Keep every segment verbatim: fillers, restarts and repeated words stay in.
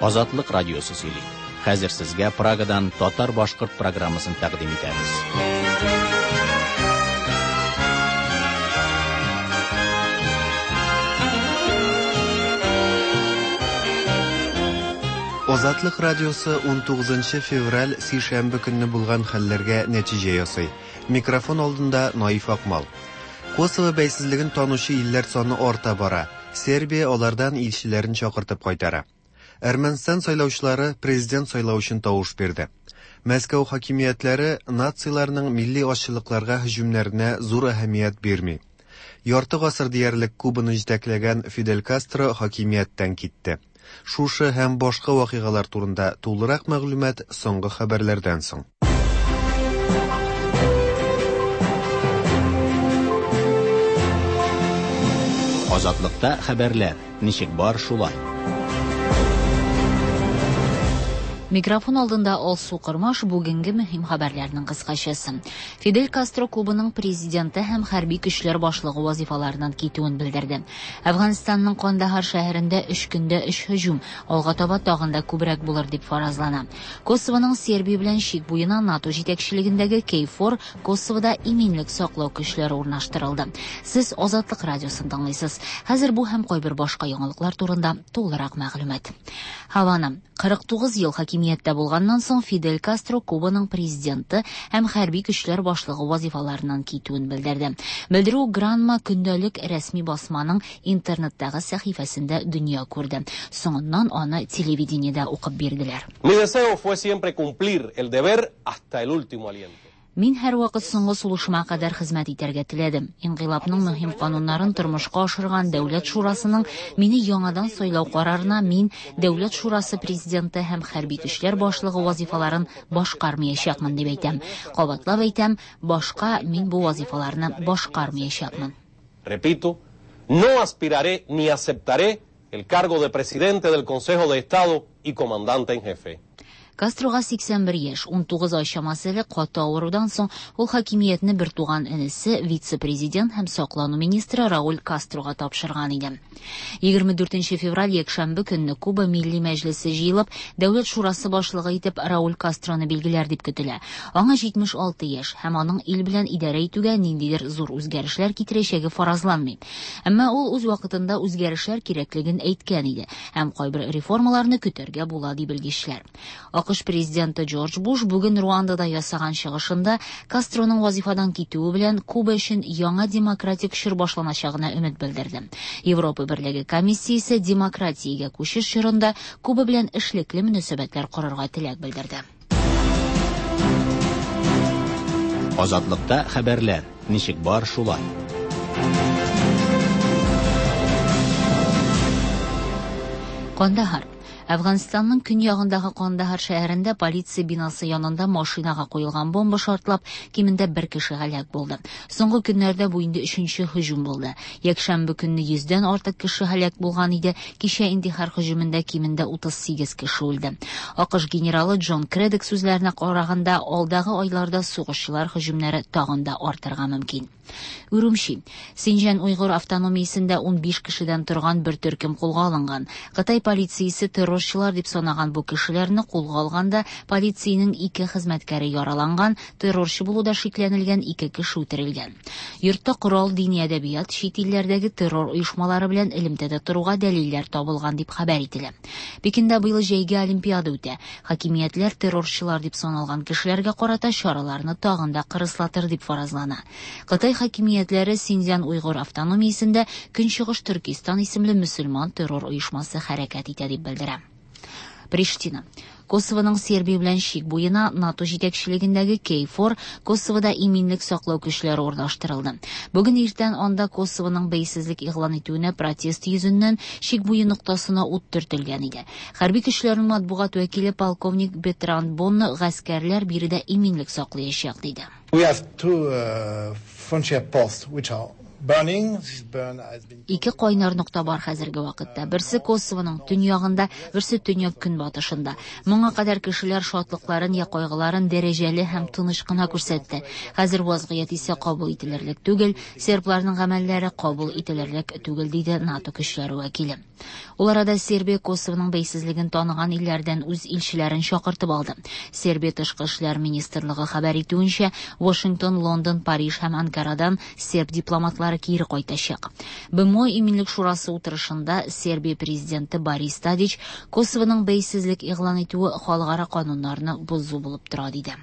Азатлык радиосы сөйли. Хәзер сезгә Прагадан татар-башкорт программасын тәкъдим итәбез. Азатлык радиосы унтугызынчы февраль сишәмбе көнне булган хәлләргә нәтиҗә ясый. Микрофон алдында Наиф Акмал. Косово бәйсезлеген танучы илләр саны арта бара. Сербия алардан илчеләрен чакыртып кайтара. Әрмәнстан сайлаучылары президент сайлау өчен тавыш бирде. Мәскәү хакимиятләре нацияларның милли азчылыкларга һөҗүмнәренә зур әһәмият бирми. Ярты гасыр диярлек Кубаны җитәкләгән Фидель Кастро хакимияттән китте. Шушы һәм башка вакыйгалар турында тулырак мәгълүмат соңгы хәбәрләрдән соң. Азатлыкта хәбәрләр ничек бар шулай. Микрофон алдында Алсу Кормаш бүгенге мөһим хәбәрләрнең кыскачасы. Фидель Кастро Кубаның президенты һәм хәрби көчләр башлыгы вазифаларыннан китүен белдерде. Әфганстанның Кандахар шәһәрендә өч көндә өч һөҗүм, алга таба тагын да күбрәк булыр дип фаразлана. Косовоның Сербия белән чик буена НАТО җитәкчелегендәге Кейфор Косовода иминлек саклау көчләре урнаштырылды. Сез Азатлык радиосын тыңлыйсыз. Хәзер бу һәм кайбер башка яңалыклар турында тулырак мәгълүмат. Хавана кырык тугыз ел хакимияттә булганнан соң Фидель Кастро Кубаның президенты һәм хәрби көчләр башлыгы вазифаларыннан китүен белдерде. Белдерү Гранма көндәлек рәсми басманың интернеттагы сәхифәсендә дөнья күрде. Соңыннан аны телевидениедә укып бирделәр. Mi deseo fue siempre cumplir el deber hasta el último aliento. Мин һәр вакыт соңгы сулышыма кадәр хезмәт итәргә теләдем. Инкыйлабның мөһим кануннарын тормышка ашырган Дәүләт Шурасының мине яңадан сайлау карарына мин Дәүләт Шурасы президенты һәм хәрби көчләр башлыгы вазифаларын башкармаячакмын дип әйтәм. Кабатлап әйтәм, башка мин бу вазифаларны башкармаячакмын. Repito, no aspiraré ni aceptaré el cargo de presidente del Consejo de Estado y comandante en jefe. Кастрога сиксән бер яшь, унтугыз ай чамасы элек каты авырудан соң ул хакимиятне бер туган энесе, вице-президент һәм саклану министры Рауль Кастрога тапшырган иде. Егерме дүртенче февраль якшәмбе көнне Куба Милли Мәҗлесе җыелып, Дәүләт Шурасы башлыгы итеп Рауль Кастроны билгеләр дип көтелә. Аңа җитмеш алты яшь һәм аның ил белән идарә итүгә ниндидер зур үзгәрешләр китерәчәге фаразланмый. Әмма ул үз вакытында үзгәрешләр кирәклеген әйткән иде һәм кайбер реформаларны көтәргә була дип белгечләр. АКШ президенты Джордж Буш бүген Руандада ясаган чыгышында Кастроның вазифадан китүе белән Куба өчен яңа демократик чор башланачагына өмет белдерде. Европа Берлеге комиссиясе демократиягә күчеш чорында Куба белән эшлекле мөнәсәбәтләр корырга теләк белдерде. Азатлыкта хәбәрләр ничек бар шулай. Кандахар. Әфганстанның көньягындагы Кандахар шәһәрендә полиция бинасы янында машинага куелган бомба шартлап, кимендә бер кеше һәлак булды. Соңгы көннәрдә бу инде өченче һөҗүм булды. Якшәмбе көнне йөздән артык кеше һәлак булган иде. Кичә интихар һөҗүмендә кимендә утыз сигез кеше үлде. АКШ генералы Джон Кредек сүзләренә караганда, алдагы айларда сугышчылар һөҗүмнәре тагын да артырга мөмкин. Урумчи. Синҗан Уйгыр автономиясендә унбиш кешедән торган бер төркем кулга алынган. Кытай полициясе террорчылар дип санаган бу кешеләрне кулга алганда полициянең ике хезмәткәре яраланган, террорчы булуда шикләнелгән ике кеше үтерелгән. Йортта корал, дини әдәбият, чит илләрдәге террор оешмалары белән элемтәдә торуга дәлилләр табылган дип хәбәр ителә. Пекинда быел җәйге олимпиада үтә. Хакимиятләр террорчылар дип саналган кешеләргә карата чараларны тагын да кырыслатыр дип фаразлана. Кытай хакимиятләре Синҗан Уйгыр автономиясендә Көнчыгыш Төркистан исемле мөселман террор оешмасы хәрәкәт итә дип белдерә. Приштина. Косовоның Сербия белән чик буена НАТО җитәкчелегендәге Кейфор Косовода иминлек саклау көчләре урнаштырылды. Бүген иртән анда Косовоның бәйсезлек игълан итүенә протест йөзеннән чик буе ноктасына ут төртелгән иде. Хәрби көчләрнең матбугат вәкиле полковник Бетран Бонно гаскәрләр биредә иминлек саклаячак диде. We have two, uh, frontier posts which are Ике кайнар нокта бар хәзерге вакытта. Берсе Косовоның төньягында, берсе төньяк-көнбатышында. Моңа кадәр кешеләр шатлыкларын я кайгыларын дәрәҗәле һәм тыныч кына күрсәтте. Хәзер вазгыять исә кабул ителерлек түгел, сербларның гамәлләре кабул ителерлек түгел, диде НАТО көчләре вәкиле. Ул арада Сербия Косовоның бәйсезлеген таныган илләрдән үз илчеләрен чакыртып алды. Сербия тышкы эшләр министрлыгы хәбәр итүенчә, Вашингтон, Лондон, Париж һәм Анкарадан серб дипломатлары кире кайтачак. Б М О Иминлек шурасы утырышында Сербия президенты Борис Тадич Косовоның бәйсезлек игълан итүе халыкара кануннарны бозу булып тора, диде.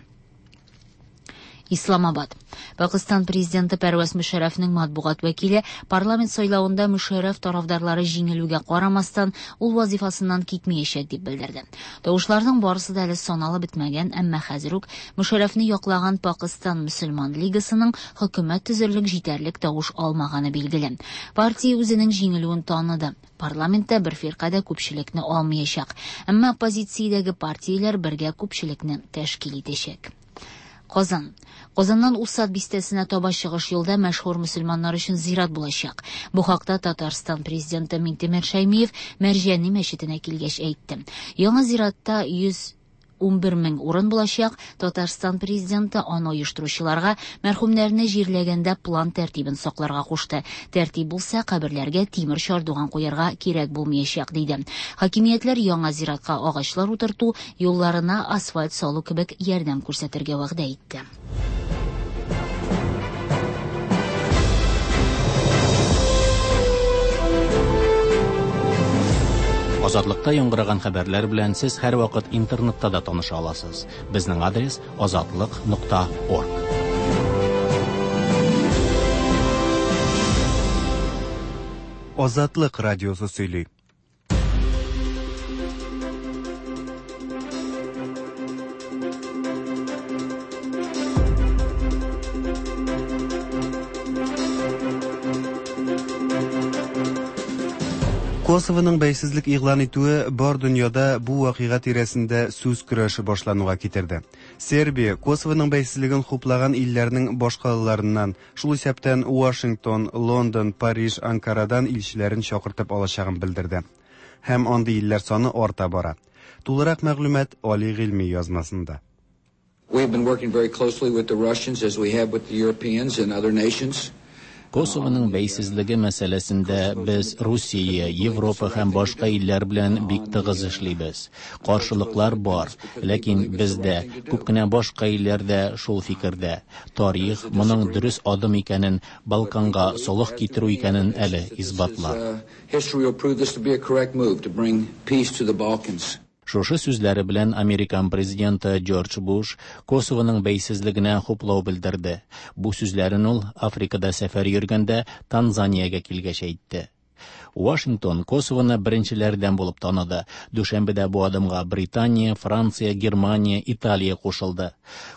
Исламабад. Пакистан президенты Пәрвәз Мөшәррәфнең матбугат вәкиле парламент сайлавында Мөшәррәф тарафдарлары җиңелүгә карамастан, ул вазифасыннан китмәячәк дип белдерде. Тавышларның барысы да әле саналып бетмәгән, әмма хәзер үк Мөшәррәфне яклаган Пакистан мөселман лигасының хөкүмәт төзерлек җитәрлек тавыш алмаганы билгеле. Партия үзенең җиңелүен таныды. Парламентта бер фирка да күпчелекне алмаячак. Әмма оппозициядәге партияләр бергә күпчелекне тәшкил итәчәк. Казан. Казаннан Усад бистәсенә таба чыгыш юлда мәшһүр мөселманнар өчен зират булачак. Бу хакта Татарстан президенты Минтимер Шәймиев Мәрҗани мәчетенә килгәч әйтте. Яңа зиратта йөз унбер мең урын булачак. Татарстан президенты аны оештыручыларга мәрхүмнәрне җирләгәндә план тәртибен сакларга кушты. Тәртип булса, каберләргә тимер чардуган куярга кирәк булмаячак, диде. Хакимиятләр яңа зиратка агачлар утырту, юлларына асфальт салу кебек ярдәм күрсәтергә вәгъдә итте. Азатлыкта яңгыраган хәбәрләр белән сез һәрвакыт интернетта да таныша аласыз. Безнең адрес азатлык нокта орг. Азатлык радиосы сөйли. Косовоның бәйсезлек игълан итүе бар дөньяда бу вакыйга тирәсендә сүз көрәше башлануга китерде. Сербия Косовоның бәйсезлеген хуплаган илләрнең башкалаларыннан, шул исәптән Вашингтон, Лондон, Париж, Анкарадан илчеләрен чакыртып алачагын белдерде. Һәм андый илләр саны арта бара. Тулырак мәгълүмат Али Гыйльми язмасында. We have been working very closely with the Russians as we have with the Europeans and other nations. Косовоның бәйсезлеге мәсьәләсендә без Русия, Европа һәм башка илләр белән бик тыгыз эшлибез. Каршылыклар бар, ләкин бездә күп кенә башка илләр дә шул фикердә. Тарих моның дөрес адым икәнен, Балканга солых китерү икәнен әле исбатлар. History will prove this to be a correct move to bring peace to the Balkans. Шушы сүзләре белән Американ президенты Джордж Буш Косовоның бәйсезлегенә хуплау белдерде. Бу сүзләрен ул Африкада сәфәр йөргәндә Танзаниягә килгәч әйтте. Вашингтон Косовоны беренчеләрдән булып таныды. Дүшәмбедә бу адымга Британия, Франция, Германия, Италия кушылды.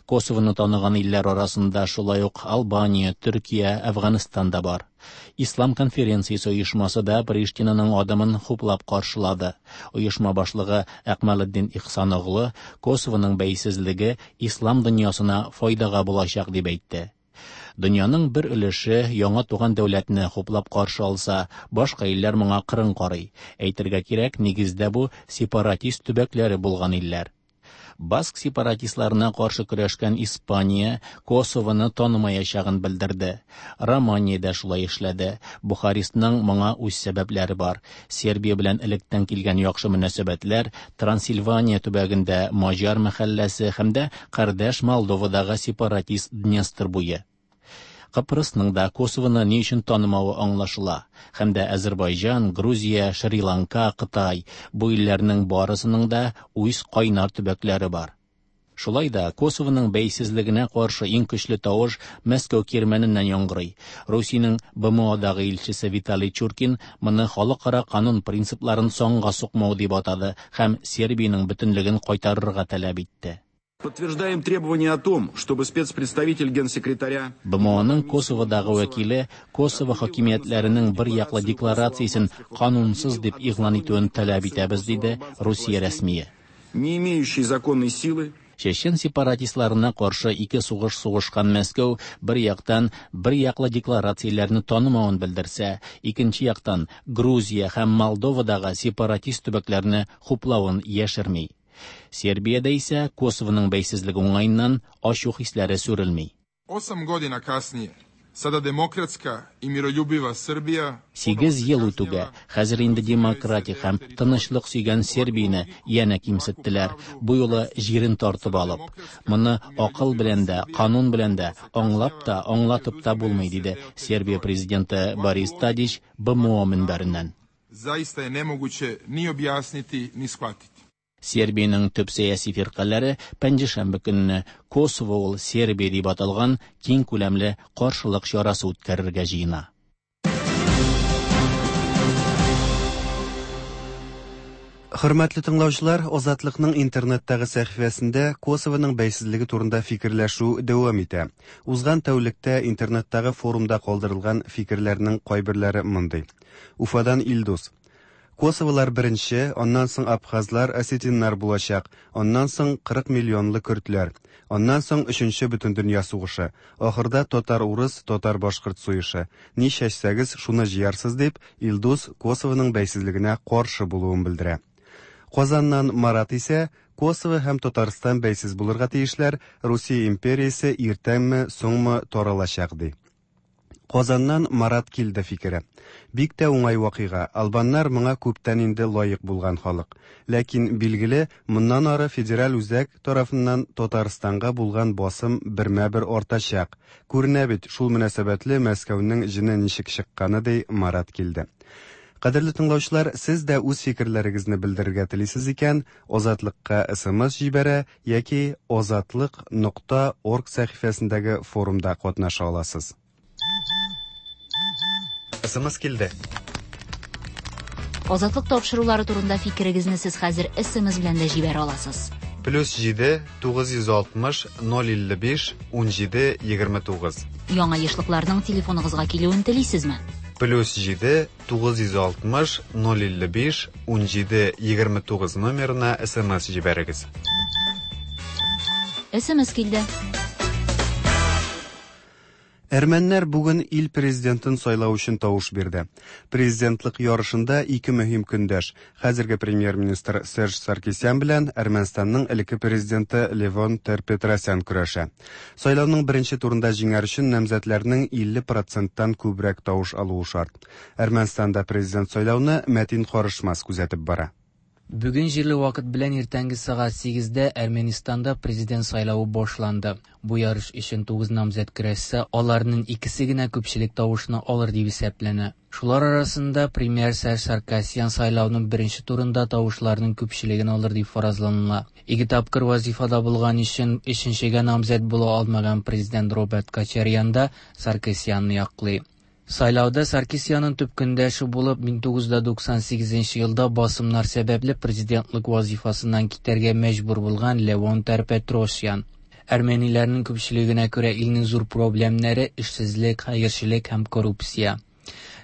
Косовоны таныган илләр арасында шулай ук Албания, Төркия, Әфганстан да бар. Ислам конференциясе оешмасы да Приштинаның адымын хуплап каршылады. Оешма башлыгы Әкмәлетдин Ихсаноглы Косовоның бәйсезлеге ислам дөньясына файдага булачак дип әйтте. Дөньяның бер өлеше яңа туган дәүләтне хуплап каршы алса, башка илләр моңа кырын карый. Әйтергә кирәк, нигездә бу сепаратист төбәкләре булган илләр. Баск сепаратистларына каршы көрәшкән Испания Косовоны танымаячагын белдерде. Романия дә шулай эшләде. Бухарестның моңа үз сәбәпләре бар. Сербия белән электән килгән яхшы мөнәсәбәтләр, Трансильвания төбәгендә маҗар мәхәлләсе һәм дә кардәш Молдовадагы сепаратист Днестр буе. Кыпрысның да Косовоны ни өчен танымавы аңлашыла. Һәм дә Азербайҗан, Грузия, Шри-Ланка, Кытай бу илләрнең барысының да үз кайнар төбәкләре бар. Шулай да Косовоның бәйсезлегенә каршы иң көчле тавыш Мәскәү кирмәненнән яңгырый. Русиянең Б М Одагы илчесе Виталий Чуркин моны халыкара канун принципларын санга сукмау дип атады һәм Сербиянең бөтенлеген кайтарырга таләп итте. Подтверждаем требование о том, чтобы спецпредставитель генсекретаря Б М Оның Косоводагы вәкиле Косово хакимиятләренең бер яклы декларациясен канунсыз дип игълан итүен таләп итәбез, диде Русия рәсмие. Не имеющий законной силы. Чечен сепаратистларына каршы ике сугыш сугышкан Мәскәү бер яктан бер яклы декларацияләрне танымавын белдерсә, икенче яктан Грузия һәм Молдовадагы сепаратист төбәкләрне хуплавын яшерми. Сербиядә исә Косовоның бәйсезлеге уңаеннан ачу хисләре сүрелми. Osam godina kasnije, sada demokratska и miroljubiva Srbija... Сигез ел үтүгә, хәзер инде демократик һәм тынычлык сөйгән Сербияне янә кимсеттеләр, бу юлы җирен тартып алып. Моны акыл белән дә, канун белән дә аңлап та, аңлатып та булмый, диде Сербия президенты Борис Тадич Б М О мөнбәреннән. Zaista je nemoguće ni objasniti, ni shvatiti. Сербиянең төп сәяси фиркаләре пәнҗешәмбе көнне «Косово ул Сербия» дип аталган киң күләмле каршылык чарасы үткәрергә җыена. Хөрмәтле тыңлаучылар, Азатлыкның интернеттагы сәхифәсендә Косовоның бәйсезлеге турында фикерләшү дәвам итә. Узган тәүлектә интернеттагы форумда калдырылган фикерләрнең кайберләре мондый. Уфадан Илдус: «Косоволар беренче, аннан соң абхазлар, осетиннар булачак, аннан соң кырык миллионлы көрдләр, аннан соң өченче бөтендөнья сугышы, ахырда татар-урыс, татар-башкорт сугышы. Ни чәчсәгез, шуны җыярсыз», – дип, Илдус Косовоның бәйсезлегенә каршы булуын белдерә. Казаннан Марат исә Косово һәм Татарстан бәйсез булырга тиешләр, Русия империясе иртәнме, соңмы таралачак, ди. Казаннан Марат килде фикере: «Бик тә уңай вакыйга. Албаннар моңа күптән инде лаек булган халык. Ләкин, билгеле, моннан ары федераль үзәк тарафыннан Татарстанга булган басым бермә-бер артачак. Күренә бит, шул мөнәсәбәтле Мәскәүнең җене ничек чыкканы», – ди Марат килде. Кадерле тыңлаучылар, сез дә үз фикерләрегезне белдерергә телисез икән, Азатлыкка С М С җибәрә яки азатлык нокта орг сәхифәсендәге форумда катнаша аласыз. С М С килде. Азатлык тапшырулары турында фикерегезне сез хәзер С М С белән дә җибәрә аласыз. Плюс җиде тугыз йөз алтмыш ноль илле биш унҗиде егерме тугыз. Яңа ешлыкларның телефоныгызга килүен телисезме? Плюс җиде тугыз йөз алтмыш ноль илле биш унҗиде егерме тугыз номерына С М С җибәрегез. С М С килде. Әрмәннәр бүген ил президентын сайлау өчен тавыш бирде. Президентлык ярышында ике мөһим көндәш: хәзерге премьер-министр Серж Саркисян белән Әрмәнстанның элекке президенты Левон Тер-Петросян көрәшә. Сайлауның беренче турында җиңәр өчен намзәтләрнең илле проценттан күбрәк тавыш алуы шарт. Әрмәнстанда президент сайлауны Мәтин Карышмас күзәтеп бара. Бүген җирле вакыт белән иртәнге сәгать сигездә Әрмәнстанда президент сайлавы башланды. Бу ярыш өчен тугыз намзәт көрәшсә, аларның икесе генә күпчелек тавышны алыр дип исәпләнә. Шулар арасында премьер Серж Саркисян сайлауның беренче турында тавышларның күпчелеген алыр дип фаразланыла. Ике тапкыр вазифада булган өчен өченчегә намзәт була алмаган президент Роберт Кочарян да Саркисянны яклый. Сайлауда Саркисянның төп көндәше булып мең тугыз йөз туксан сигезенче елда басымнар сәбәпле президентлык вазифасыннан китәргә мәҗбүр булган Левон Тер-Петросян. Әрмәниләрнең күпчелегенә күрә, илнең зур проблемнары эшсезлек, хәерчелек һәм коррупция.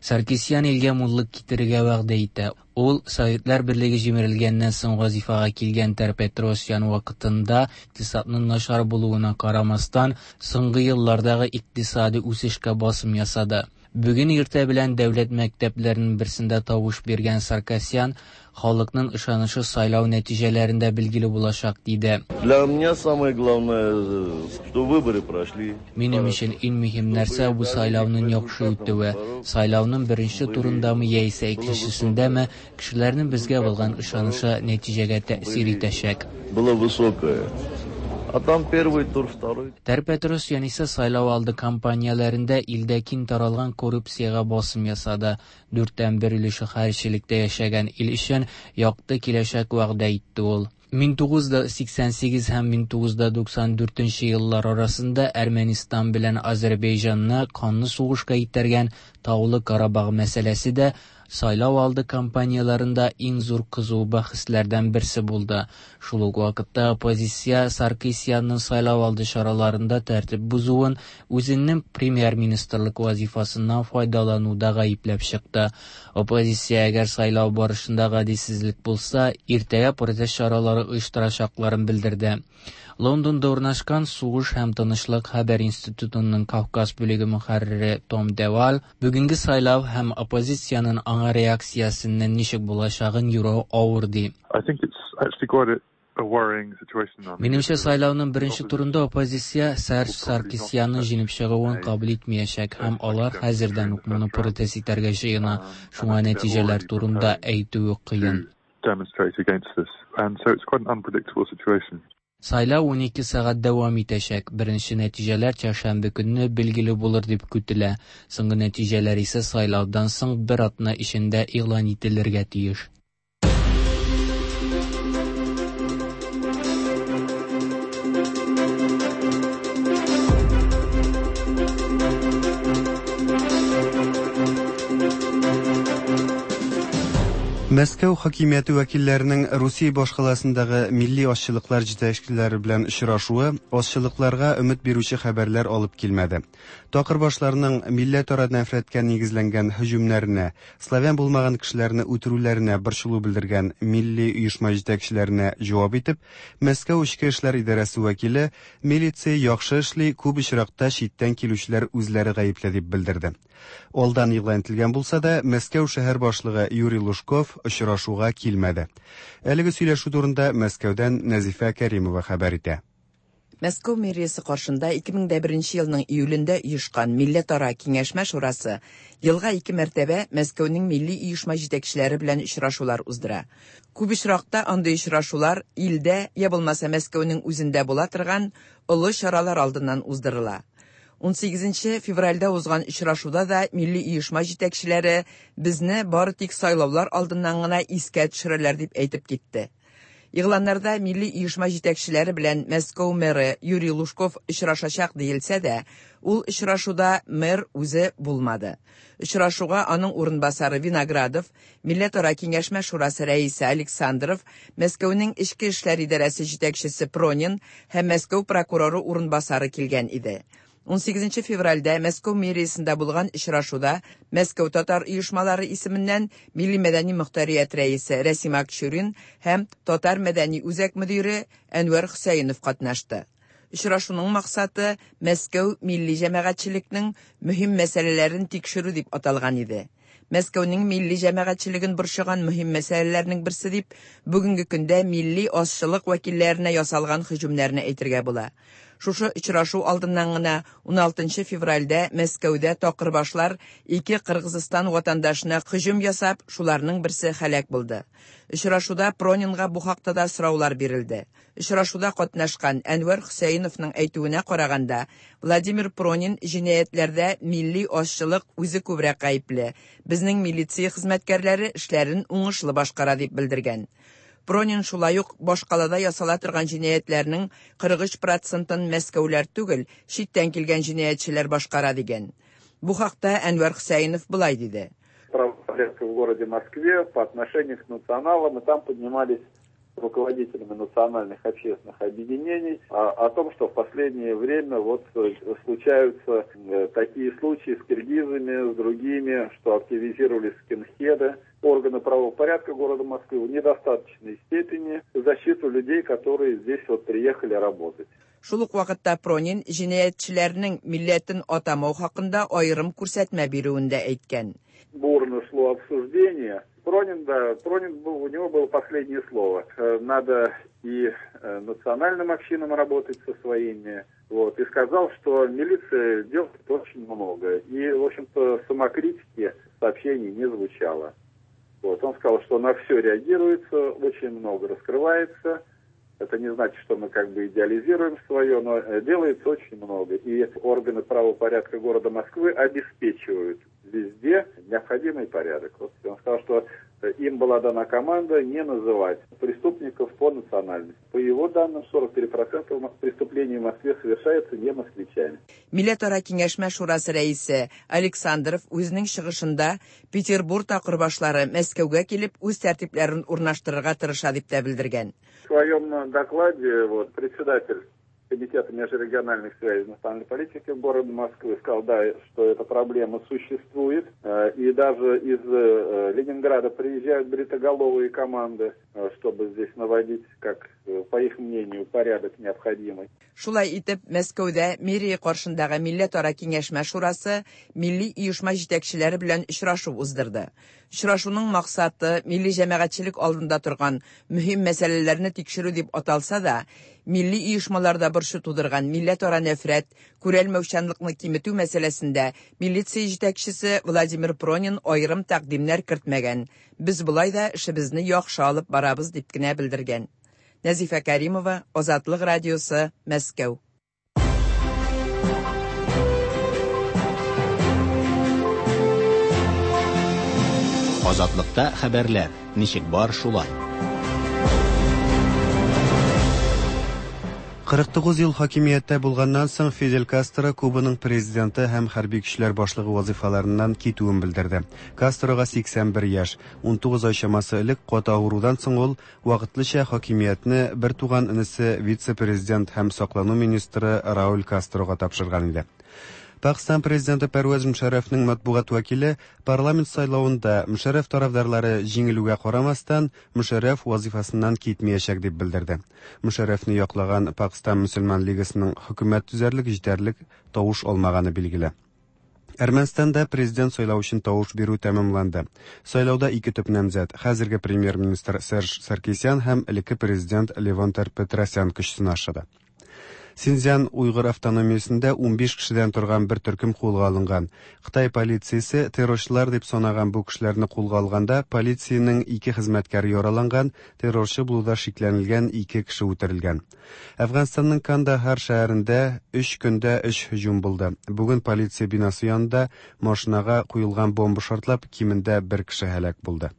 Саркисян илгә муллык китерергә вәгъдә итә. Ул Советлар Берлеге җимерелгәннән соң вазифага килгән Тер-Петросян вакытында икътисадның начар булуына карамастан, соңгы еллардагы икътисади үсешкә басым ясады. Бүген иртә белән дәүләт мәктәпләренең берсендә тавыш биргән Саркисян халыкның ышанышы сайлау нәтиҗәләрендә билгеле булачак диде. Для меня самое главное, что выборы прошли. Минем өчен иң мөһим нәрсә бу сайлауның яхшы үтүе. Сайлауның беренче турындамы яисә икенчесендәме, кешеләрнең безгә булган ышанышы нәтиҗәгә тәэсир итәчәк. Было высокое. А там первый тур, второй. Тер-Петросян исә сайлау алды кампанияләрендә илдә киң таралган коррупциягә басым ясады. Дүрттән бер өлеше хәерчелектә яшәгән ил өчен якты киләчәк вәгъдә итте ул. мең тугыз йөз сиксән сигез һәм мең тугыз йөз туксан дүртенче еллар арасында Әрмәнстан белән Азәрбайҗанны канлы сугышка этәргән Таулы Карабах мәсьәләсе дә сайлау алды кампанияләрендә иң зур кызу бәхәсләрдән берсе булды. Шул ук вакытта оппозиция Саркисянның сайлау алды чараларында тәртип бозуын үзенең премьер-министрлык вазифасыннан файдалануда гаепләп чыкты. Оппозиция, әгәр сайлау барышында гаделсезлек булса, иртәгә протест чаралары оештырачакларын белдерде. Лондонда урнашкан Сугыш һәм тынычлык хәбәр институтының Кавказ бүлеге мөхәррире Том Девал бүгенге сайлау һәм оппозициянең аңа реакциясенең ничек булачагын юрау авыр ди. Минемчә, сайлауның беренче турында оппозиция Серж Саркисянның җиңеп чыгуын кабул итмәячәк һәм алар хәзердән үк моны протест итәргә җыена. Шуңа нәтиҗәләр турында әйтүе кыен. Сайлау унике сәгать дәвам итәчәк. Беренче нәтиҗәләр чәршәмбе көнне билгеле булыр дип көтелә. Соңгы нәтиҗәләр исә сайлаудан соң бер атна эчендә игълан ителергә тиеш. Мәскәү хакимияте вәкилләренең Русия башкаласындагы милли азчылыклар җитәкчеләре белән очрашуы азчылыкларга өмет бирүче хәбәрләр алып килмәде. Такырбашларның милләтара нәфрәткә нигезләнгән һөҗүмнәренә, славян булмаган кешеләрне үтерүләренә борчылу белдергән милли оешма җитәкчеләренә җавап итеп, Мәскәү эчке эшләр идарәсе вәкиле милиция яхшы эшли, күп очракта читтән килүчеләр үзләре гаепле дип белдерде. Алдан игълан ителгән булса да, Мәскәү шәһәр башлыгы Юрий Лужков очрашуга килмәде. Әлеге сөйләшү турында Мәскәүдән Нәзифә Кәримова хәбәр итә. Мәскәү мэриясе каршында ике мең дә беренче елның июлендә оешкан Милләтара киңәшмә шурасы елга ике мәртәбә Мәскәүнең милли оешма җитәкчеләре белән очрашулар уздыра. Күп очракта андый очрашулар илдә я булмаса Мәскәүнең үзендә була торган олы чаралар алдыннан уздырыла. ун сигезенче февральдә узган очрашуда да милли оешма җитәкчеләре безне бары тик сайлаулар алдыннан гына искә төшерәләр дип әйтеп китте. Игъланнарда милли оешма җитәкчеләре белән Мәскәү мэры Юрий Лужков очрашачак диелсә дә, ул очрашуда мэр үзе булмады. Очрашуга аның урынбасары Виноградов, Милләтара киңәшмә шурасы рәисе Александров, Мәскәүнең эчке эшләр идарәсе җитәкчесе Пронин һәм Мәскәү прокуроры урынбасары килгән иде. ун сигезенче февральдә Мәскәү мэриясендә булган очрашуда Мәскәү татар оешмалары исеменнән Милли мәдәни мөхтәрият рәисе Рәсим Акчурин һәм Татар мәдәни үзәк мөдире Әнвәр Хөсәенов катнашты. Очрашуның максаты Мәскәү милли җәмәгатьчелекнең мөһим мәсьәләләрен тикшерү дип аталган иде. Мәскәүнең милли җәмәгатьчелеген борчыган мөһим мәсьәләләрнең берсе дип бүгенге көндә милли азчылык вәкилләренә ясалган һөҗүмнәрне әйтергә була. Шушы очрашу алдыннан гына ун алтынчы февральдә Мәскәүдә такырбашлар ике Кыргызстан ватандашына һөҗүм ясап, шуларның берсе һәлак булды. Очрашуда Пронинга бу хакта да сораулар бирелде. Очрашуда катнашкан Әнвәр Хөсәеновның әйтүенә караганда, Владимир Пронин җинаятьләрдә милли азчылык үзе күбрәк гаепле. Безнең милиция хезмәткәрләре эшләрен уңышлы башкара дип белдергән. Пронин шулай ук башкалада ясала торган җинаятьләрнең кырык өч процентын Мәскәүләр түгел, читтән килгән җинаятьчеләр башкара дигән. Бу хакта Әнвәр Хөсәенов былай диде. Правопорядка в городе Москве по отношению к националам, и там поднимались руководителями национальных общественных объединений о, о том, что в последнее время вот случаются такие случаи с киргизами, с другими, что активизировались скинхеды. Органы правопорядка города Москвы в недостаточной степени защиту людей, которые здесь вот приехали работать. Шул ук вакытта Пронин җинаятьчеләрнең милләтен атамау хакында аерым күрсәтмә бирүен дә әйткән. Бурно шло обсуждение. Пронин, да, Пронин был, у него было последнее слово. Надо и национальным общинам работать со своими. Вот, и сказал, что милиция делает очень много. И, в общем-то, самокритики сообщений не звучало. Вот, он сказал, что на все реагируется, очень много раскрывается. Это не значит, что мы как бы идеализируем свое, но делается очень много. И органы правопорядка города Москвы обеспечивают везде необходимый порядок. Вот он сказал, что им была дана команда не называть преступников по национальности. По его данным, сорок три процента преступлений в Москве совершаются не москвичами. Милләтара киңәшмә шурасы рәисе Александров үзенең чыгышында Петербург такырбашлары Мәскәүгә килеп үз тәртипләрен урнаштырырга тырыша дип тә белдергән. В своем докладе вот, председатель Комитета межрегиональных связей национальной политики города Москвы сказал, да, что эта проблема существует. И даже из Ленинграда приезжают бритоголовые команды, чтобы здесь наводить, как, по их мнению, порядок необходимый. Шулай итеп, Мәскәүдә мэрия каршындагы милләтара киңәшмә шурасы милли оешма җитәкчеләре белән очрашу уздырды. Очрашуның максаты милли җәмәгатьчелек алдында торган мөһим мәсьәләләрне тикшерү дип аталса да, милли оешмаларда борчу тудырган милләтара нәфрәт, күрәлмәүчәнлекне киметү мәсьәләсендә милиция җитәкчесе Владимир Пронин аерым тәкъдимнәр кертмәгән. Без болай да эшебезне яхшы алып барабыз дип кенә белдергән. Нәзифә Каримова, Азатлык радиосы, Мәскәү. Азатлыкта хәбәрләр ничек бар шулай. кырык тугыз ел хакимияттә булганнан соң Фидель Кастро Кубаның президенты һәм хәрби көчләр башлыгы вазифаларыннан китүен белдерде. Кастрога сиксән бер яшь, ун тугыз ай чамасы элек каты авырудан соң ул вакытлыча хакимиятне бер туган энесе вице-президент һәм саклану министры Рауль Кастрога тапшырган иде. Пакистан президенты Пәрвәз Мөшәррәфнең матбугат вәкиле парламент сайлавында Мөшәррәф тарафдарлары җиңелүгә карамастан Мөшәррәф вазифасыннан китмәячәк дип белдерде. Мөшәррәфне яклаган Пакистан мөселман лигасының хөкүмәт төзәрлек җитәрлек тавыш алмаганы билгеле. Әрмәнстанда президент сайлау өчен тавыш бирү тәмамланды. Сайлауда ике төп намзәт, хәзерге премьер-министр Серж Саркисян һәм элекке президент Левон Тер-Петросян көч сынашты. Синьцзян Уйгыр автономиясендә ун биш кешедән торган бер төркем кулга алынган. Кытай полициясе террорчылар дип санаган бу кешеләрне кулга алганда полициянең ике хезмәткәре яраланган, террорчы булуда шикләнелгән ике кеше үтерелгән. Әфганстанның Кандахар шәһәрендә өч көндә өч һөҗүм булды. Бүген полиция бинасы янында машинага куелган бомба шартлап, кимендә бер кеше һәлак булды.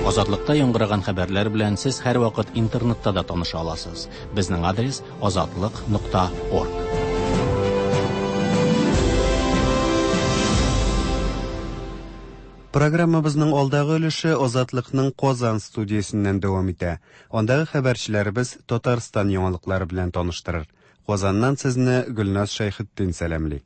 Азатлыкта яңгыраган хәбәрләр белән сез һәр вакыт интернетта да таныша аласыз. Безнең адрес азатлык нокта орг. Программабызның алдагы өлеше Азатлыкның Казан студиясеннән дәвам итә. Андагы хәбәрчеләребез Татарстан яңалыклары белән таныштырыр. Казаннан сезне Гөлназ Шәйхетдин сәламли.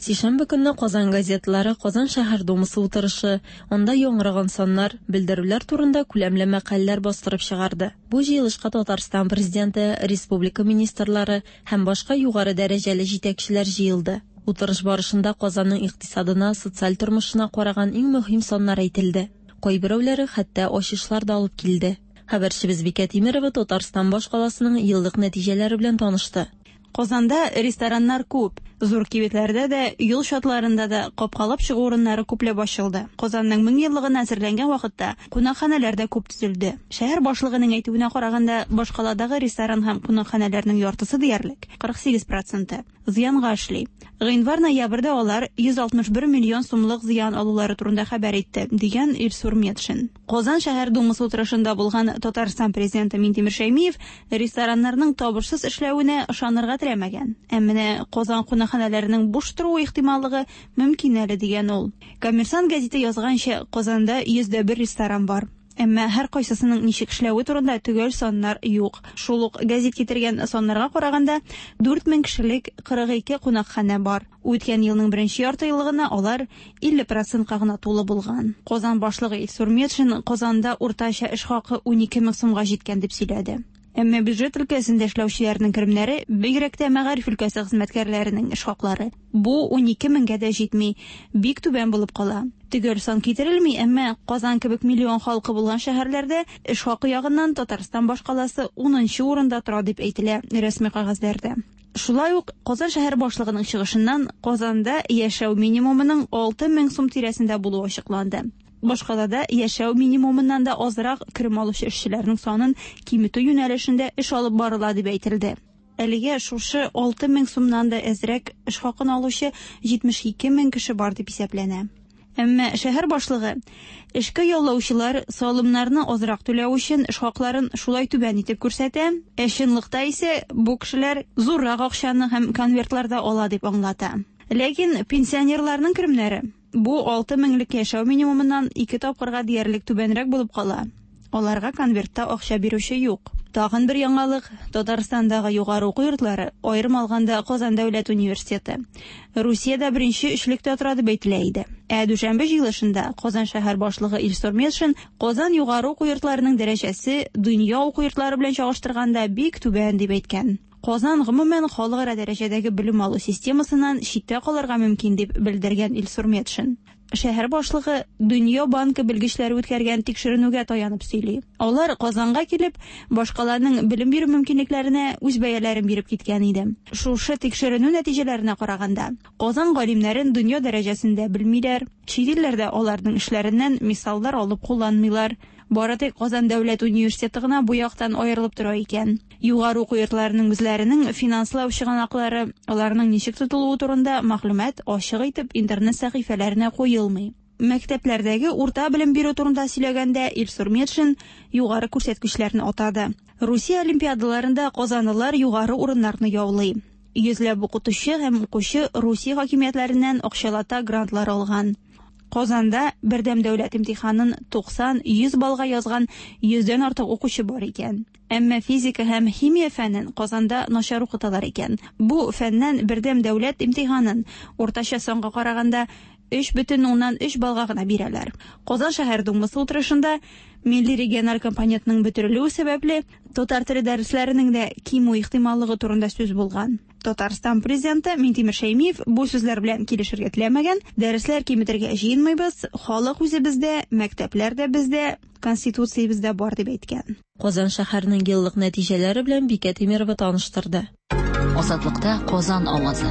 Сишәмбе көнне Казан газетлары Казан шәһәр думасы утырышы, анда яңгыраган саннар, белдерүләр турында күләмле мәкаләләр бастырып чыгарды. Бу җыелышка Татарстан президенты, республика министрлары һәм башка югары дәрәҗәле җитәкчеләр җыелды. Утырыш барышында Казанның икътисадына, социаль тормышына караган иң мөһим саннар әйтелде. Кайберәүләре хәтта ачышлар да алып килде. Хәбәрчебез Бикә Тимирова Татарстан башкаласының еллык нәтиҗәләре белән танышты. Казанда рестораннар күп, зур кибетләрдә дә, юл чатларында да капкалап чыгу урыннары күпләп ачылды. Казанның мең еллыгына әзерләнгән вакытта кунакханәләр дә күп төзелде. Шәһәр башлыгының әйтүенә караганда, башкаладагы ресторан һәм кунакханәләрнең яртысы диярлек, кырык сигез проценты зыянга эшли. Гыйнвар-ноябрьдә алар йөз алтмыш бер миллион сумлык зыян алулары турында хәбәр итте, дигән Илсур Метшин. Казан шәһәр думасы утырышында булган Татарстан президенты Минтимер Шәймиев рестораннарның табышсыз эшләвенә ышанырга теләмәгән. Ә менә Казан кунакханәләренең буш торуы ихтималлыгы мөмкин әле, дигән ул. Коммерсант гәзите язганча, Казанда йөз дә бер ресторан бар. Әмма һәр кайсысының ничек эшләве турында төгәл саннар юк. Шул ук гәзит китергән саннарга караганда, дүрт мең кешелек кырык ике кунакханә бар. Үткән елның беренче ярты еллыгына алар илле процентка гына тулы булган. Казан башлыгы Илсур Метшин Казанда уртача эш хакы унике мең сумга җиткән дип сөйләде. Әмма бюджет өлкәсендә эшләүчеләрнең керемнәре, бигрәк тә мәгариф өлкәсе хезмәткәрләренең эш хаклары, бу унике меңгә дә җитми, бик түбән булып кала. Төгәл сан китерелми, әмма Казан кебек миллион халкы булган шәһәрләрдә эш хакы ягыннан Татарстан башкаласы унынчы урында тора дип әйтелә рәсми кәгазьләрдә. Шулай ук Казан шәһәр башлыгының чыгышыннан Казанда яшәү минимумының алты мең сум тирәсендә булуы ачыкланды. Башкалада яшәү минимумыннан да азрак керем алучы эшчеләрнең санын киметү юнәлешендә эш алып барыла дип әйтелде. Әлегә шушы алты мең сумнан да әзрәк эш хакын алучы җитмеш ике мең кеше бар дип исәпләнә. Әмма шәһәр башлыгы эшкә яллаучылар салымнарны азрак түләү өчен эш хакларын шулай түбән итеп күрсәтә, ә чынлыкта исә бу кешеләр зуррак акчаны һәм конвертларда ала дип аңлата. Ләкин пенсионерларның керемнәре бу алты меңлек яшәү минимумыннан ике тапкырга диярлек түбәнрәк булып кала. Аларга конвертта акча бирүче юк. Тагын бер яңалык: Татарстандагы югары уку йортлары, аерым алганда Казан дәүләт университеты, Русиядә беренче өчлектә тора дип әйтелә иде. Ә дүшәмбе җыелышында Казан шәһәр башлыгы Илсур Метшин Казан югары уку йортларының дәрәҗәсе дөнья уку йортлары белән чагыштырганда бик түбән дип әйткән. Казан гомумән халыкара дәрәҗәдәге белем алу системасыннан читтә калырга мөмкин дип белдергән Илсур Метшин. Шәһәр башлыгы Дөнья банкы белгечләре үткәргән тикшеренүгә таянып сөйли. Алар Казанга килеп, башкаланың белем бирү мөмкинлекләренә үз бәяләрен биреп киткән иде. Шушы тикшеренү нәтиҗәләренә караганда, Казан галимнәрен дөнья дәрәҗәсендә белмиләр, чит илләрдә аларның эшләреннән мисаллар алып кулланмыйлар. Бары тик Казан дәүләт университеты гына бу яктан аерылып тора икән. Югары уку йортларының үзләренең финанслау чыганаклары, аларның ничек тотылуы турында мәгълүмат ачык итеп интернет сәхифәләренә куелмый. Мәктәпләрдәге урта белем бирү турында сөйләгәндә Илсур Метшин югары күрсәткечләрне атады. Русия олимпиадаларында казанлылар югары урыннарны яулый. Йөзләп укытучы һәм укучы Русия хакимиятләреннән акчалата грантлар алган. Казанда бердәм дәүләт имтиханын туксан йөз баллга язган йөздән артык укучы бар икән. Әмма физика һәм химия фәнен Казанда начар укыталар икән. Бу фәннән бердәм дәүләт имтиханын уртача санга караганда өч бөтен уннан өч баллга гына бирәләр. Казан шәһәр думасы утырышында милли региональ компонентның бетерелүе сәбәпле татар теле дәресләренең дә кимү ихтималлыгы турында сүз булган. Татарстан президенты Минтимер Шәймиев бу сүзләр белән килешергә теләмәгән. Дәресләр киметергә җыенмыйбыз, халык үзе бездә, мәктәпләр дә бездә, конституциябездә бар дип әйткән. Казан шәһәренең еллык нәтиҗәләре белән Бикә Тимирова таныштырды. Азатлыкта Казан авазы.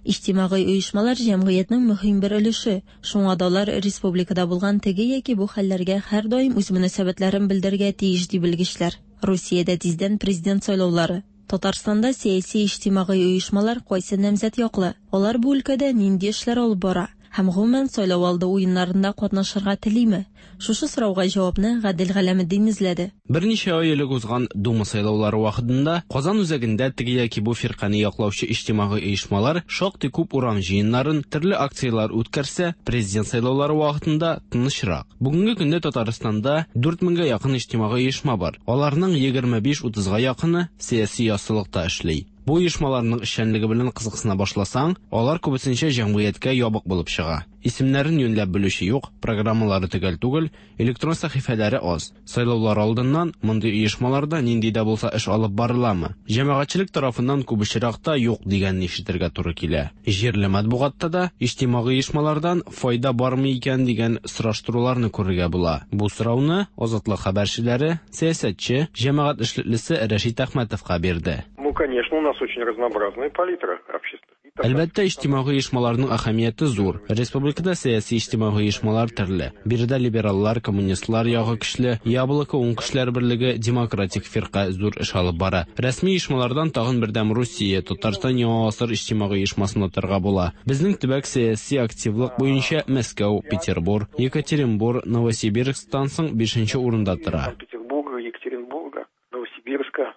Иҗтимагый оешмалар җәмгыятьнең мөһим бер өлеше. Шуңа да алар республикада булган теге яки бу хәлләргә һәрдаим үз мөнәсәбәтләрен белдерергә тиеш ди белгечләр. Русиядә тиздән президент сайлаулары. Татарстанда сәяси иҗтимагый оешмалар кайсы намзәт яклы? Алар бу өлкәдә нинди эшләр алып бара? Һәм гомумән сайлау алды уеннарында катнашырга телиме? Шушы сорауга җавапны Гадел Галәметдин эзләде. Берничә ай элек узган Дума сайлаулары вакытында Казан үзәгендә теге яки бу фиркане яклаучы иҗтимагый оешмалар шактый күп урам җыеннарын, төрле акцияләр үткәрсә, президент сайлаулары вакытында тынычрак. Бүгенге көндә Татарстанда дүрт меңгә якын иҗтимагый оешма бар. Аларның егерме биш утызга якыны сәяси яссылыкта эшли. Бу оешмаларның эшчәнлеге белән кызыксына башласаң, алар күбесенчә җәмгыятькә ябык булып чыга. Исемнәрен юньләп белүче юк, программалары төгәл түгел, электрон сәхифәләре аз. Сайлаулар алдыннан мондый оешмаларда нинди дә булса эш алып барыламы? Җәмәгатьчелек тарафыннан күп очракта юк дигәнне ишетергә туры килә. Җирле матбугатта да иҗтимагый оешмалардан файда бармы икән дигән сораштыруларны күрергә була. Бу сорауны Азатлык хәбәрчеләре, сәясәтче, җәмәгать эшлеклесе Рәшит Әхмәтовка бирде. Ну, конечно, у нас очень разнообразная палитра общества. Әлбәттә, иҗтимагый оешмаларның әһәмияте зур. Республикада сәяси иҗтимагый оешмалар төрле. Биредә либераллар, коммунистлар ягы көчле, Яблоко уң көчләр берлеге, демократик фирка зур эш алып бара. Рәсми оешмалардан тагын Бердәм Русия, Татарстан Яңа гасыр иҗтимагый оешмасын атарга була. Безнең төбәк сәяси активлык буенча Мәскәү, Петербург, Екатеринбург, Новосибирсктан соң бишенче урында тора.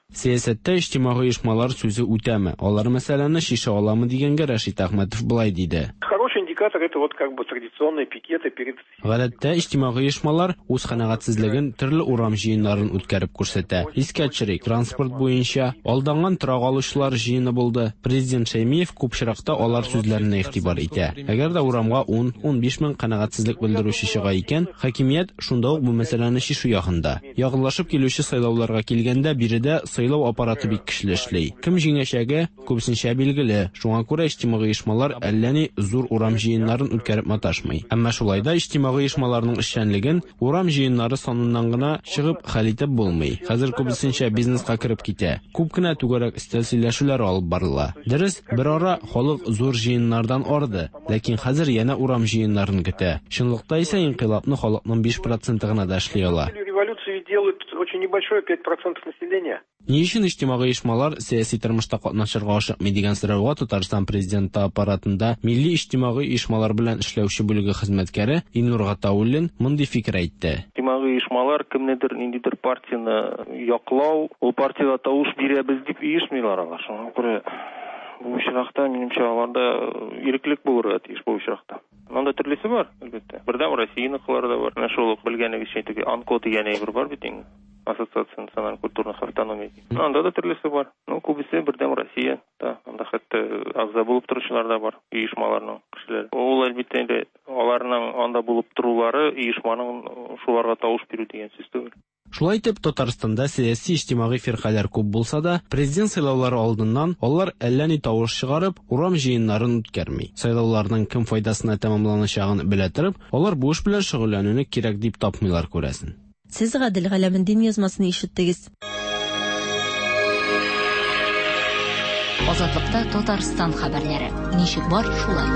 Сәясәттә иҗтимагый оешмалар сүзе үтәме? Алар мәсьәләне шиша аламы дигәнгә Рәшит Әхмәтов былай диде. Хороший индикатор это вот как бы традиционные пикеты перед. Гадәттә иҗтимагый оешмалар үз канәгатьсезлеген төрле урам җыеннарын үткәреп күрсәтә. Искә төшерик, транспорт буенча алданган торак алучылар җыены булды. Президент Шәймиев күп очракта алар сүзләренә игътибар итә. Әгәр дә урамга ун ун биш мең канәгатьсезлек белдерүче чыга икән, хакимият шунда ук бу мәсьәләне чишү ягында. Якынлашып килүче сайлауларга килгәндә биредә сайлау аппараты бик көчле эшли. Кем җиңәчәге күбесенчә билгеле. Шуңа күрә иҗтимагый оешмалар әллә ни зур урам җыеннарын үткәреп маташмый. Әмма шулай да иҗтимагый оешмаларның эшчәнлеген урам җыеннары саныннан гына чыгып хәл итеп булмый. Хәзер күбесенчә бизнеска кереп китә. Күп кенә түгәрәк өстәл сөйләшүләре алып барыла. Дөрес, бер ара халык зур җыеннардан арды, ләкин хәзер янә урам җыеннарын көтә. Чынлыкта исә инкыйлабны халыкның биш проценты гына да эшли ала. Революцию делают очень небольшое пять процентов населения. Ни өчен иҗтимагый оешмалар сәяси тормышта катнашырга ашыкмый дигән сорауга Татарстан президенты аппаратында милли иҗтимагый оешмалар белән эшләүче бүлеге хезмәткәре Илнур Гатауллин мондый фикер әйтте. Иҗтимагый оешмалар кемнедер ниндидер партияне яклау, ул партиягә тавыш бирәбез дип оешмыйлар алар. Шуңа күрә бу очракта минемчә аларда иреклек булырга тиеш бу очракта. Монда төрлесе бар, әлбәттә. Бердәм Россияныкылар да бар. Менә шул ук белгәнегезчә теге АНКО дигән әйбер бар бит инде. Ассоциация национальных культурных автономий. Анда да төрлесе бар. Ну, күбесе Бердәм Россия да, анда хәтта әгъза булып торучылар да бар, оешмаларның кешеләре. Ул әлбәттә инде аларның анда булып торулары оешманың шуларга тавыш бирү дигән сүз түгел. Шулай итеп, Татарстанда сәяси иҗтимагый фиркаләр күп булса да, президент сайлаулары алдыннан алар әллә ни тавыш чыгарып, урам җыеннарын үткәрми. Сайлауларның кем файдасына тәмамланачагын белә торып, алар бу эш белән шөгыльләнүне кирәк дип тапмыйлар күрәсен. Сез Гадел Галәметдин язмасын ишеттегез. Азатлыкта Татарстан хәбәрләре. Ничек бар, шулай.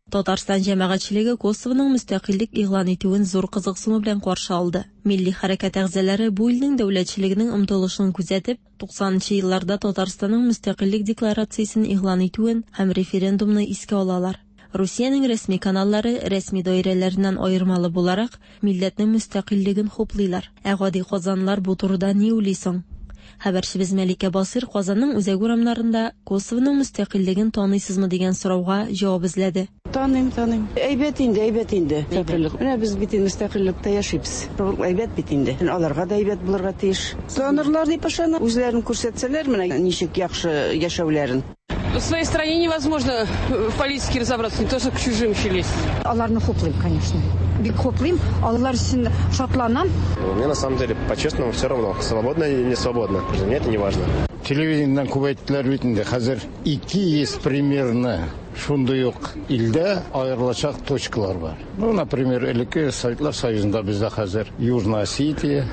Татарстан җәмәгатьчелеге Косовоның мөстәкыйльлек игълан итүен зур кызыксыну белән каршы алды. Милли хәрәкәт әгъзалары бу илнең дәүләтчелегенең омтылышын күзәтеп, туксанынчы елларда Татарстанның мөстәкыйльлек декларациясен игълан итүен һәм референдумны искә алалар. Русиянең рәсми каналлары рәсми даирәләреннән аермалы буларак милләтнең мөстәкыйльлеген хуплыйлар. Ә гади казанлар бу турыда ни уйлый соң? Хәбәрчебез Мәликә Басыр Казанның үзәк урамнарында Косовоның мөстәкыйльлеген таныйсызмы дигән сорауга җавап эзләде. Таныйм, таныйм. Әйбәт инде, әйбәт инде. Мөстәкыйльлек. Менә без бит инде мөстәкыйльлектә яшибез. Әйбәт бит инде. Аларга да әйбәт булырга тиеш. Танырлар дип ышанам. Үзләрен күрсәтсәләр, менә ничек яхшы яшәүләрен. В своей стране невозможно в политике разобраться, не то что к чужим еще лезть. Аларны хуплыйм, конечно. Бик хуплыйм, алар өчен шатланам. Мне на самом деле, по-честному, все равно, свободно или не свободно. Для меня это не важно. Телевидениедән күп әйттеләр бит инде. Хәзер ике йөз примерно шундый ук илдә аерылачак точкалар бар. Ну, например, элекке Советлар Союзында бездә хәзер Южная Осетия,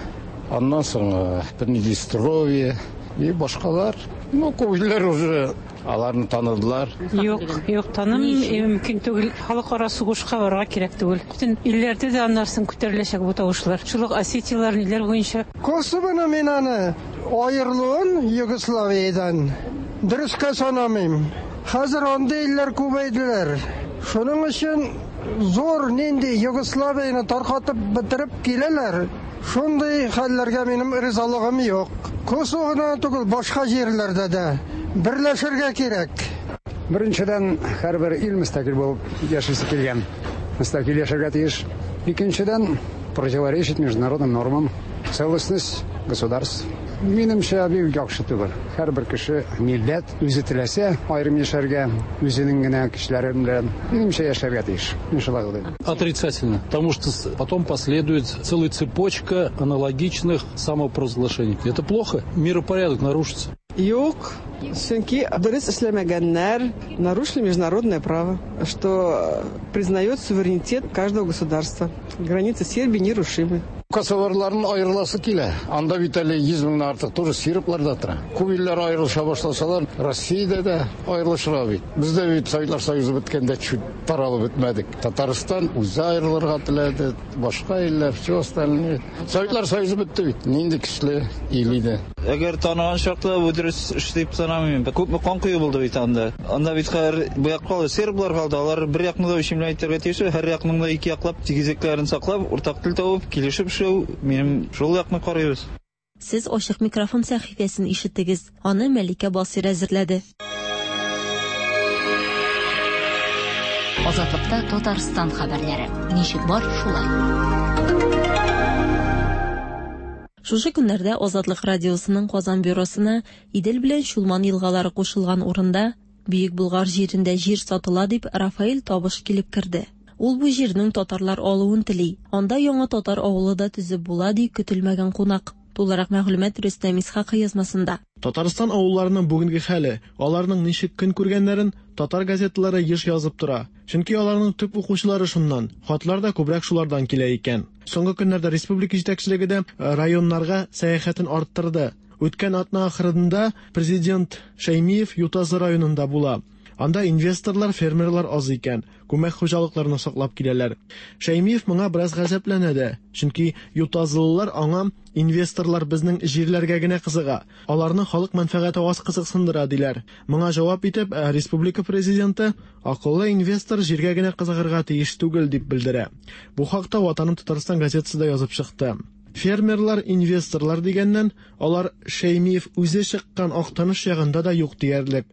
аннан соң Приднестровье и башкалар. Ну, күп илләр уже аларны таныдылар. Юк, юк, танымыйм, мөмкин түгел. Халыкара сугышка барырга кирәк түгел. Бөтен илләрдә дә аннан күтәреләчәк бу тавышлар. Шул ук Осетиялар ниләр буенча. Косовоны мин аны аерылуын Югославиядән дөрескә санамыйм. Хәзер андый илләр күбәйделәр. Шуның өчен зур нинди Югославияне таркатып бетереп киләләр. Шундый хәлләргә минем ризалыгым юк. Косовоны түгел, башка җирләрдә дә берләшергә кирәк. Беренчедән, һәрбер ил мөстәкыйль булып яшисе килгән. Мөстәкыйль яшәргә тиеш. Икенчедән, противоречит международным нормам, целостность государств. Минемчә, бик яхшы түгел. Һәрбер кеше, милләт үзе теләсә аерым яшәргә, үзенең генә кешеләре белән, минемчә, яшәргә тиеш. Мин шулай уйлыйм. Отрицательно, потому что потом последует целая цепочка аналогичных самопровозглашений. Это плохо, миропорядок нарушится. Юк, чөнки дөрес эшләмәгәннәр нарушили международное право, что признает суверенитет каждого государства. Границы Сербии нерушимы. Косоварларның аерыласы килә. Анда бит әле йөз меңнән артык тоже серблар да тора. Күп илләр аерылыша башласалар, Россиядә дә аерылышырга бит. Бездә бит Советлар Союзы беткәндә чуть таралып бетмәдек. Татарстан үзе аерылырга теләде, башка илләр, все остальные. Советлар Союзы бетте бит. Нинди көчле ил иде. Әгәр таныган чакта бу дөрес эш дип санамыйм. Күпме кан кою булды бит анда. Анда бит хәзер бу як калды, серблар калды. Алар бер якны да өчен әйтергә тиеш, һәр якның да ике яклап тигезлекләрен саклап, уртак тел табып, килешеп эшләү, минем шул якны карыйбыз. Сез ачык микрофон сәхифәсен ишеттегез. Аны Мәликә Басир әзерләде. Азатлыкта Татарстан хәбәрләре. Ничек бар, шулай. Шушы көннәрдә Азатлык радиосының Казан бюросына Идел белән Чулман елгалары кушылган урында Бөек Болгар җирендә җир сатыла дип Рафаэль Табыш килеп керде. Ул бу җирнең татарлар алуын тели. Анда яңа татар авылы да төзеп була ди көтелмәгән кунак. Тулырак мәгълүмат Рөстәм Исхакый язмасында. Татарстан авылларының бүгенге хәле, аларның ничек көн күргәннәрен татар газеталары еш язып тора. Чөнки аларның төп укучылары шуннан, хатлар да күбрәк шулардан килә икән. Соңгы көннәрдә республика җитәкчелеге дә районнарга сәяхәтен арттырды. Үткән атна ахырында президент Шәймиев Ютазы районында була. Анда инвесторлар, фермерлар аз икән, күмәк хуҗалыкларны саклап киләләр. Шәймиев моңа бераз гаҗәпләнә дә, чөнки ютазылылар аңа инвесторлар безнең җирләргә генә кызыга, аларны халык мәнфәгате аз кызыксындыра диләр. Моңа җавап итеп, республика президенты акыллы инвестор җиргә генә кызыгырга тиеш түгел дип белдерә. Бу хакта Ватаным Татарстан газетасы да язып чыкты. Фермерлар, инвесторлар дигәннән, алар Шәймиев үзе чыккан Актаныш ягында да юк диярлек.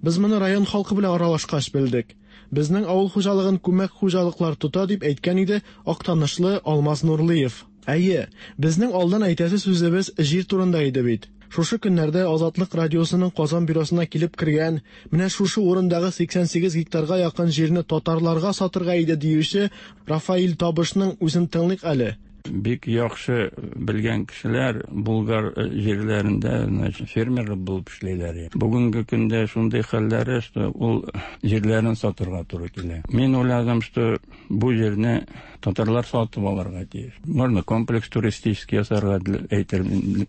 Без моны район халкы белән аралашкач белдек. Безнең авыл хуҗалыгын күмәк хуҗалыклар тота дип әйткән иде Актанышлы Алмаз Нурлыев. Әйе, безнең алдан әйтәсе сүзебез җир турында иде бит. Шушы көннәрдә Азатлык радиосының Казан бюросына килеп кергән, менә шушы урындагы сиксән сигез гектарга якын җирне татарларга сатырга иде диюче Рафаил Табышның үзен тыңлыйк әле. Бик яхшы белгән кешеләр Булгар җирләрендә, значит, фермер булып эшләйләр. Бүгенге көндә шундый хәлләре, что ул җирләрен сатырга туры килә. Мин уйладым, что бу җирне татарлар сатып алырга тиеш. Можно комплекс туристический ясарга әйтер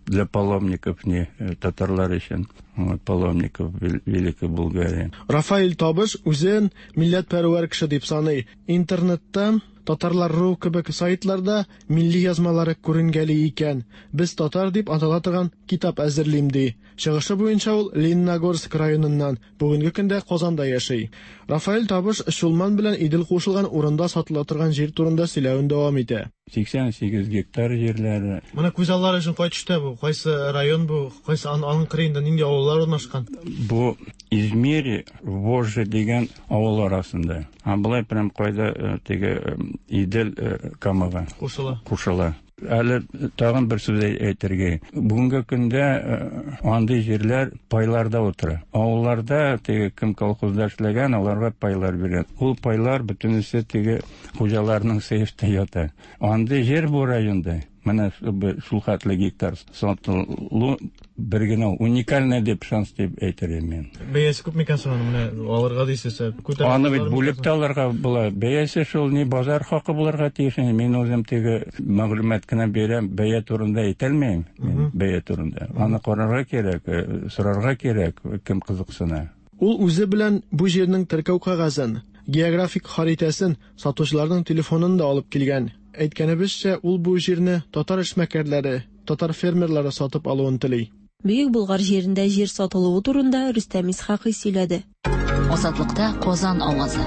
для паломников, не татарлар өчен. Вот, паломников Великой Булгарии. Рафаил Табыш үзен милләтпәрвәр кеше дип саный. Интернетта Татарлар ру кебек сайтларда милли язмалары күренгәли икән. Без татар дип атала торган китап әзерлим ди. Чыгышы буенча ул Лениногорск районыннан, бүгенге көндә Казанда яши. Рафаэль Табыш Чулман белән Идел кушылган урында сатыла торган җир турында сөйләвен дәвам итә. сиксән сигез гектар җирләре. Моны күз аллары өчен кай төштә бу? Кайсы район бу? Кайсы аның кырыенда нинди авыллар урнашкан? Бу Измири, Вожжи дигән авыл арасында. А болай прям кайда теге Идел Камага кушыла. Кушыла. Әле тагын бер сүз әйтергә. Бүгенге көндә андый җирләр пайларда утыра. Авылларда теге кем колхозда эшләгән, аларга пайлар бирә. Ул пайлар бөтенесе теге хуҗаларның сейфта ята. Андый җир бу районда. Менә шул хәтле гектар сатылу бер генә уникальный дип шанс дип әйтер идем мин. Бәясе күп микән соң менә алырга дисез? Аны бит бүлеп тә алырга була. Бәясе шул ни базар хакы булырга тиеш. Мин үзем теге мәгълүмат кына бирәм, бәя турында әйтә алмыйм. Мин бәя турында. Аны карарга кирәк, сорарга кирәк, кем кызыксына. Ул үзе белән бу җирнең теркәү кәгазен, географик харитасын, сатучыларның телефонын да алып килгән. Әйткәнебезчә, ул бу җирне татар эшмәкәрләре, татар фермерлары сатып алуын тели. Бөек Болгар җирендә җир сатылуы турында Рөстәм Исхакый сөйләде. Азатлыкта Казан авазы.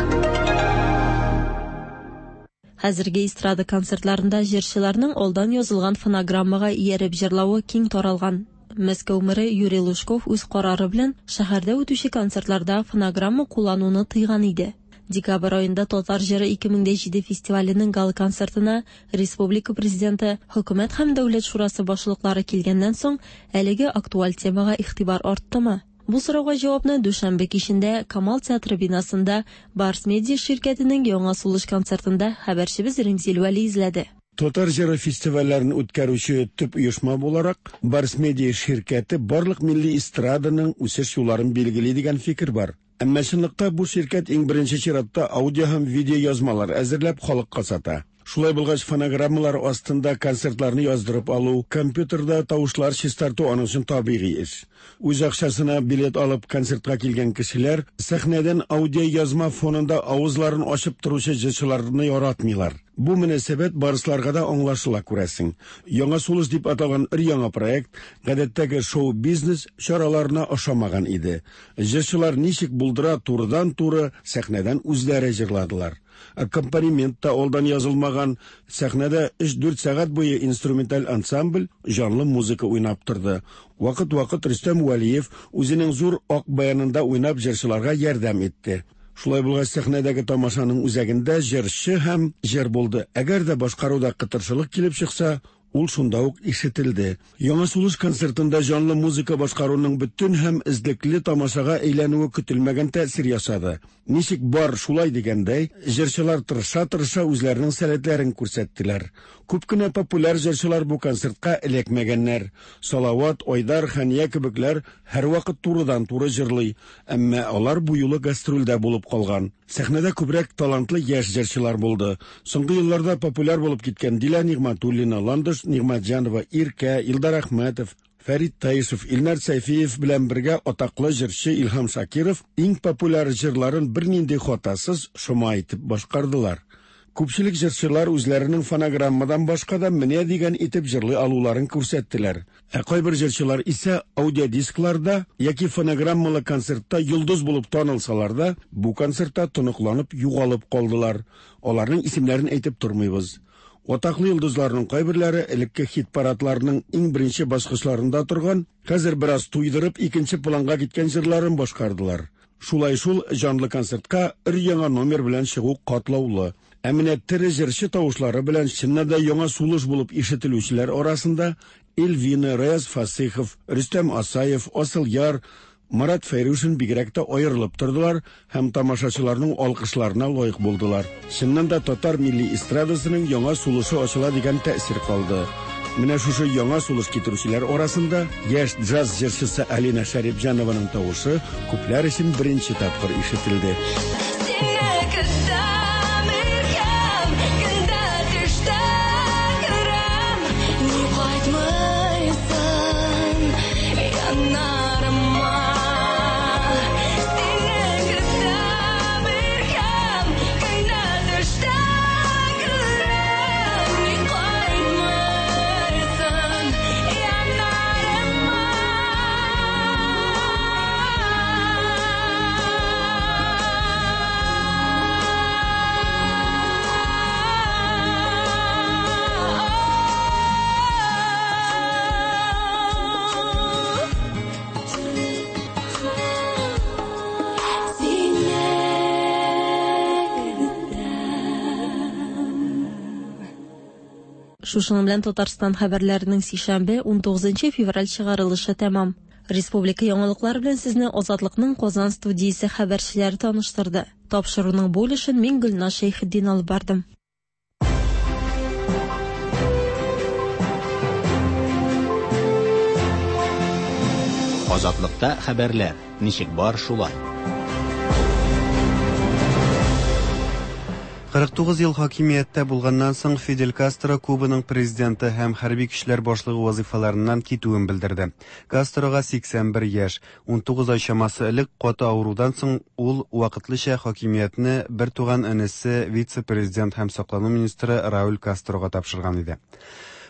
Хәзерге эстрада концертларында җырчыларның алдан язылган фонограммага ияреп җырлавы киң таралган. Мәскәү мэры Юрий Лужков үз карары белән шәһәрдә үтүче концертларда фонограмма куллануны тыйган иде. Декабрь айында Татар җыры ике мең дә җиде фестиваленең гала-концертына республика президенты, хөкүмәт һәм дәүләт шурасы башлыклары килгәннән соң әлеге актуаль темага игътибар арттымы? Бу сорауга җавапны дүшәмбе кичендә Камал театры бинасында Барс Медиа ширкәтенең яңа сулыш концертында хәбәрчебез Римзил Вәли эзләде. Татар җыры фестивальләрен үткәрүче төп оешма буларак, Барс Медиа ширкәте барлык милли эстраданың үсеш юлларын билгели дигән фикер бар. Әмма чынлыкта бу ширкәт иң беренче чиратта аудио һәм видео язмалар әзерләп халыкка сата. Шулай булгач, фонограммалар астында концертларны яздырып алу, компьютерда тавышлар чистарту аның өчен табигый эш. Үз акчасына билет алып концертка килгән кешеләр сәхнәдән аудио язма фонында авызларын ачып торучы җырчыларны яратмыйлар. Бу мөнәсәбәт барысларга да аңлашыла күрәсең. Яңа сулыш дип аталган өр-яңа проект гадәттәге шоу-бизнес чараларына ошамаган иде. Җырчылар ничек булдыра турыдан-туры сәхнәдән үзләре җырладылар. Аккомпанемент та алдан язылмаган, сәхнәдә өч-дүрт сәгать буе инструменталь ансамбль җанлы музыка уйнап торды. Вакыт-вакыт Рөстәм Вәлиев үзенең зур ак баянында уйнап җырчыларга ярдәм итте. Шулай булгач, сәхнәдәге тамашаның үзәгендә җырчы һәм җыр булды. Әгәр дә башкаруда кытыршылык килеп чыкса, Ул шунда ук ишетелде. Яңа сулыш концертында җанлы музыка башкаруның бөтен һәм эзлекле тамашага әйләнүе көтелмәгән тәэсир ясады. Ничек бар шулай дигәндәй, җырчылар тырыша-тырыша үзләренең сәләтләрен күрсәттеләр. Күп кенә популяр җырчылар бу концертка эләкмәгәннәр. Салават, Айдар, Хәния кебекләр һәрвакыт турыдан-туры җырлый, әмма алар бу юлы гастрольдә булып калган. Сәхнәдә күбрәк талантлы яшь җырчылар булды. Соңгы елларда популяр булып киткән Дилә Нигъмәтуллина, Ландыш Нигъмәтҗанова, Иркә, Илдар Әхмәтов, Фәрит Таишев, Илнар Сәйфиев белән бергә атаклы җырчы Илһам Шакиров иң популяр җырларын бернинди хатасыз шома итеп башкардылар. Күпчелек җырчылар үзләренең фонограммадан башка да менә дигән итеп җырлый алуларын күрсәттеләр. Ә кайбер җырчылар исә аудиодискларда яки фонограммалы концертта йолдыз булып танылсалар да, бу концертта тоныкланып югалып калдылар. Аларның исемнәрен әйтеп тормыйбыз. Атаклы йолдызларның кайберләре элекке хит-парадларның иң беренче баскычларында торган, хәзер бераз туйдырып икенче планга киткән җырларын башкардылар. Шулай шул җанлы концертка өр-яңа номер белән чыгу катлаулы. Ә менә тере җырчы тавышлары белән чыннан да яңа сулыш булып ишетелүчеләр арасында Эльвина, Раяз Фасыйхов, Рөстәм Асаев, Асылъяр, Марат Фәйрушин бигрәк тә аерылып тордылар һәм тамашачыларның алкышларына лаек булдылар. Чыннан да татар милли эстрадасының яңа сулышы ачыла дигән тәэсир калды. Менә шушы яңа сулыш китерүчеләр арасында яшь джаз җырчысы Алина Шәрипҗанованың тавышы күпләр өчен беренче тапкыр ишетелде. Шушының белән Татарстан хәбәрләренең сишәмбе ун тугызынчы февраль чыгарылышы тәмам. Республика яңалыклары белән сезне Азатлыкның Казан студиясе хәбәрчеләре таныштырды. Тапшыруның бу өлешен мин Гөлназ Шәйхетдин алып бардым. Азатлыкта хәбәрләр ничек бар шулай. кырык тугыз ел хакимияттә булганнан соң Фидель Кастро Кубаның президенты һәм хәрби көчләр башлыгы вазифаларыннан китүен белдерде. Кастрога сиксән бер яшь, ун тугыз ай чамасы элек каты авырудан соң ул вакытлыча хакимиятне бер туган энесе вице-президент һәм саклану министры Рауль Кастрога тапшырган иде.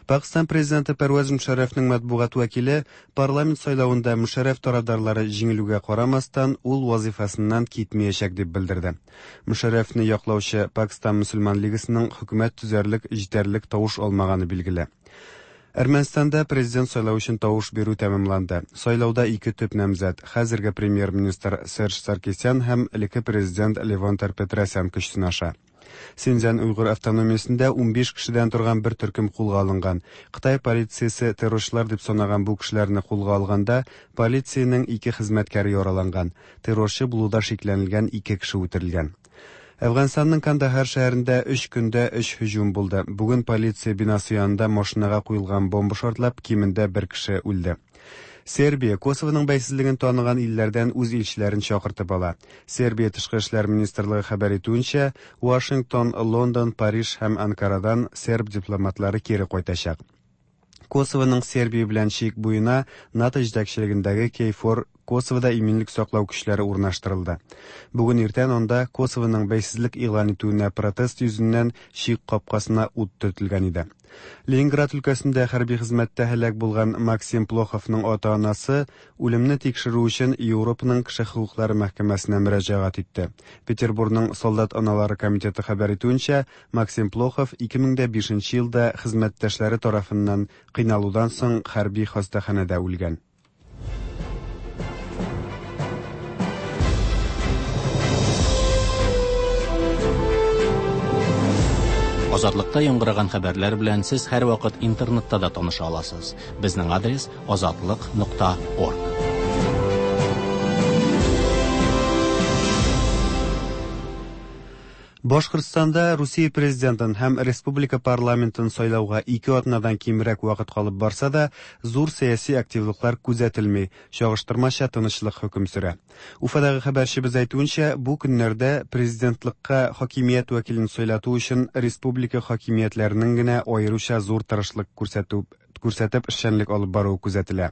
Пакистан президенты Пәрвәз Мөшәррәфнең матбугат вәкиле парламент сайлавында Мөшәррәф тарафдарлары җиңелүгә карамастан ул вазифасыннан китмәячәк дип белдерде. Мөшәррәфне яклаучы Пакистан мөселман лигасының хөкүмәт төзәрлек җитәрлек тавыш алмаганы билгеле. Әрмәнстанда президент сайлау өчен тавыш бирү тәмамланды. Сайлауда ике төп намзәт хәзерге премьер-министр Серж Саркисян һәм элекке президент Левон Тер-Петросян көч сынаша. Синьцзян Уйгыр автономиясендә ун биш кешедән торган бер төркем кулга алынган. Кытай полициясе террорчылар дип санаган бу кешеләрне кулга алганда полициянең ике хезмәткәре яраланган. Террорчы булуда шикләнелгән ике кеше үтерелгән. Әфганстанның Кандахар шәһәрендә өч көндә өч һөҗүм булды. Бүген полиция бинасы янында машинага куелган бомба шартлап, кимендә бер кеше үлде. Сербия Косовоның бәйсезлеген таныган илләрдән үз илчеләрен чакыртып ала. Сербия тышкы эшләр министрлыгы хәбәр итүенчә, Вашингтон, Лондон, Париж һәм Анкарадан серб дипломатлары кире кайтачак. Косовоның Сербия белән чик буена НАТО җитәкчелегендәге Кейфор Косовода иминлек саклау көчләре урнаштырылды. Бүген иртән анда Косовоның бәйсезлек игълан итүенә протест йөзеннән чик капкасына ут төртелгән иде. Ленинград өлкәсендә хәрби хезмәттә һәлак булган Максим Плоховның ата-анасы үлемне тикшерү өчен Европаның кеше хокуклары мәхкәмәсенә мөрәҗәгать итте. Петербургның солдат аналары комитеты хәбәр итүенчә, Максим Плохов ике мең дә бишенче елда хезмәттәшләре тарафыннан кыйналудан соң хәрби хастаханәдә үлгән. Азатлыкта яңгыраган хәбәрләр белән сез һәрвакыт интернетта да таныша аласыз. Безнең адрес азатлык нокта орг. Башкортстанда Русия президентын һәм республика парламентын сайлауга ике атнадан кимрәк вакыт калып барса да, зур сәяси активлыклар күзәтелми, чагыштырмача тынычлык хөкем сөрә. Уфадагы хәбәрчебез әйтүенчә, бу көннәрдә президентлыкка хакимият вәкилен сайлату өчен республика хакимиятләренең генә аеруча зур тырышлык күрсәтү күрсәтеп эшчәнлек алып баруы күзәтелә.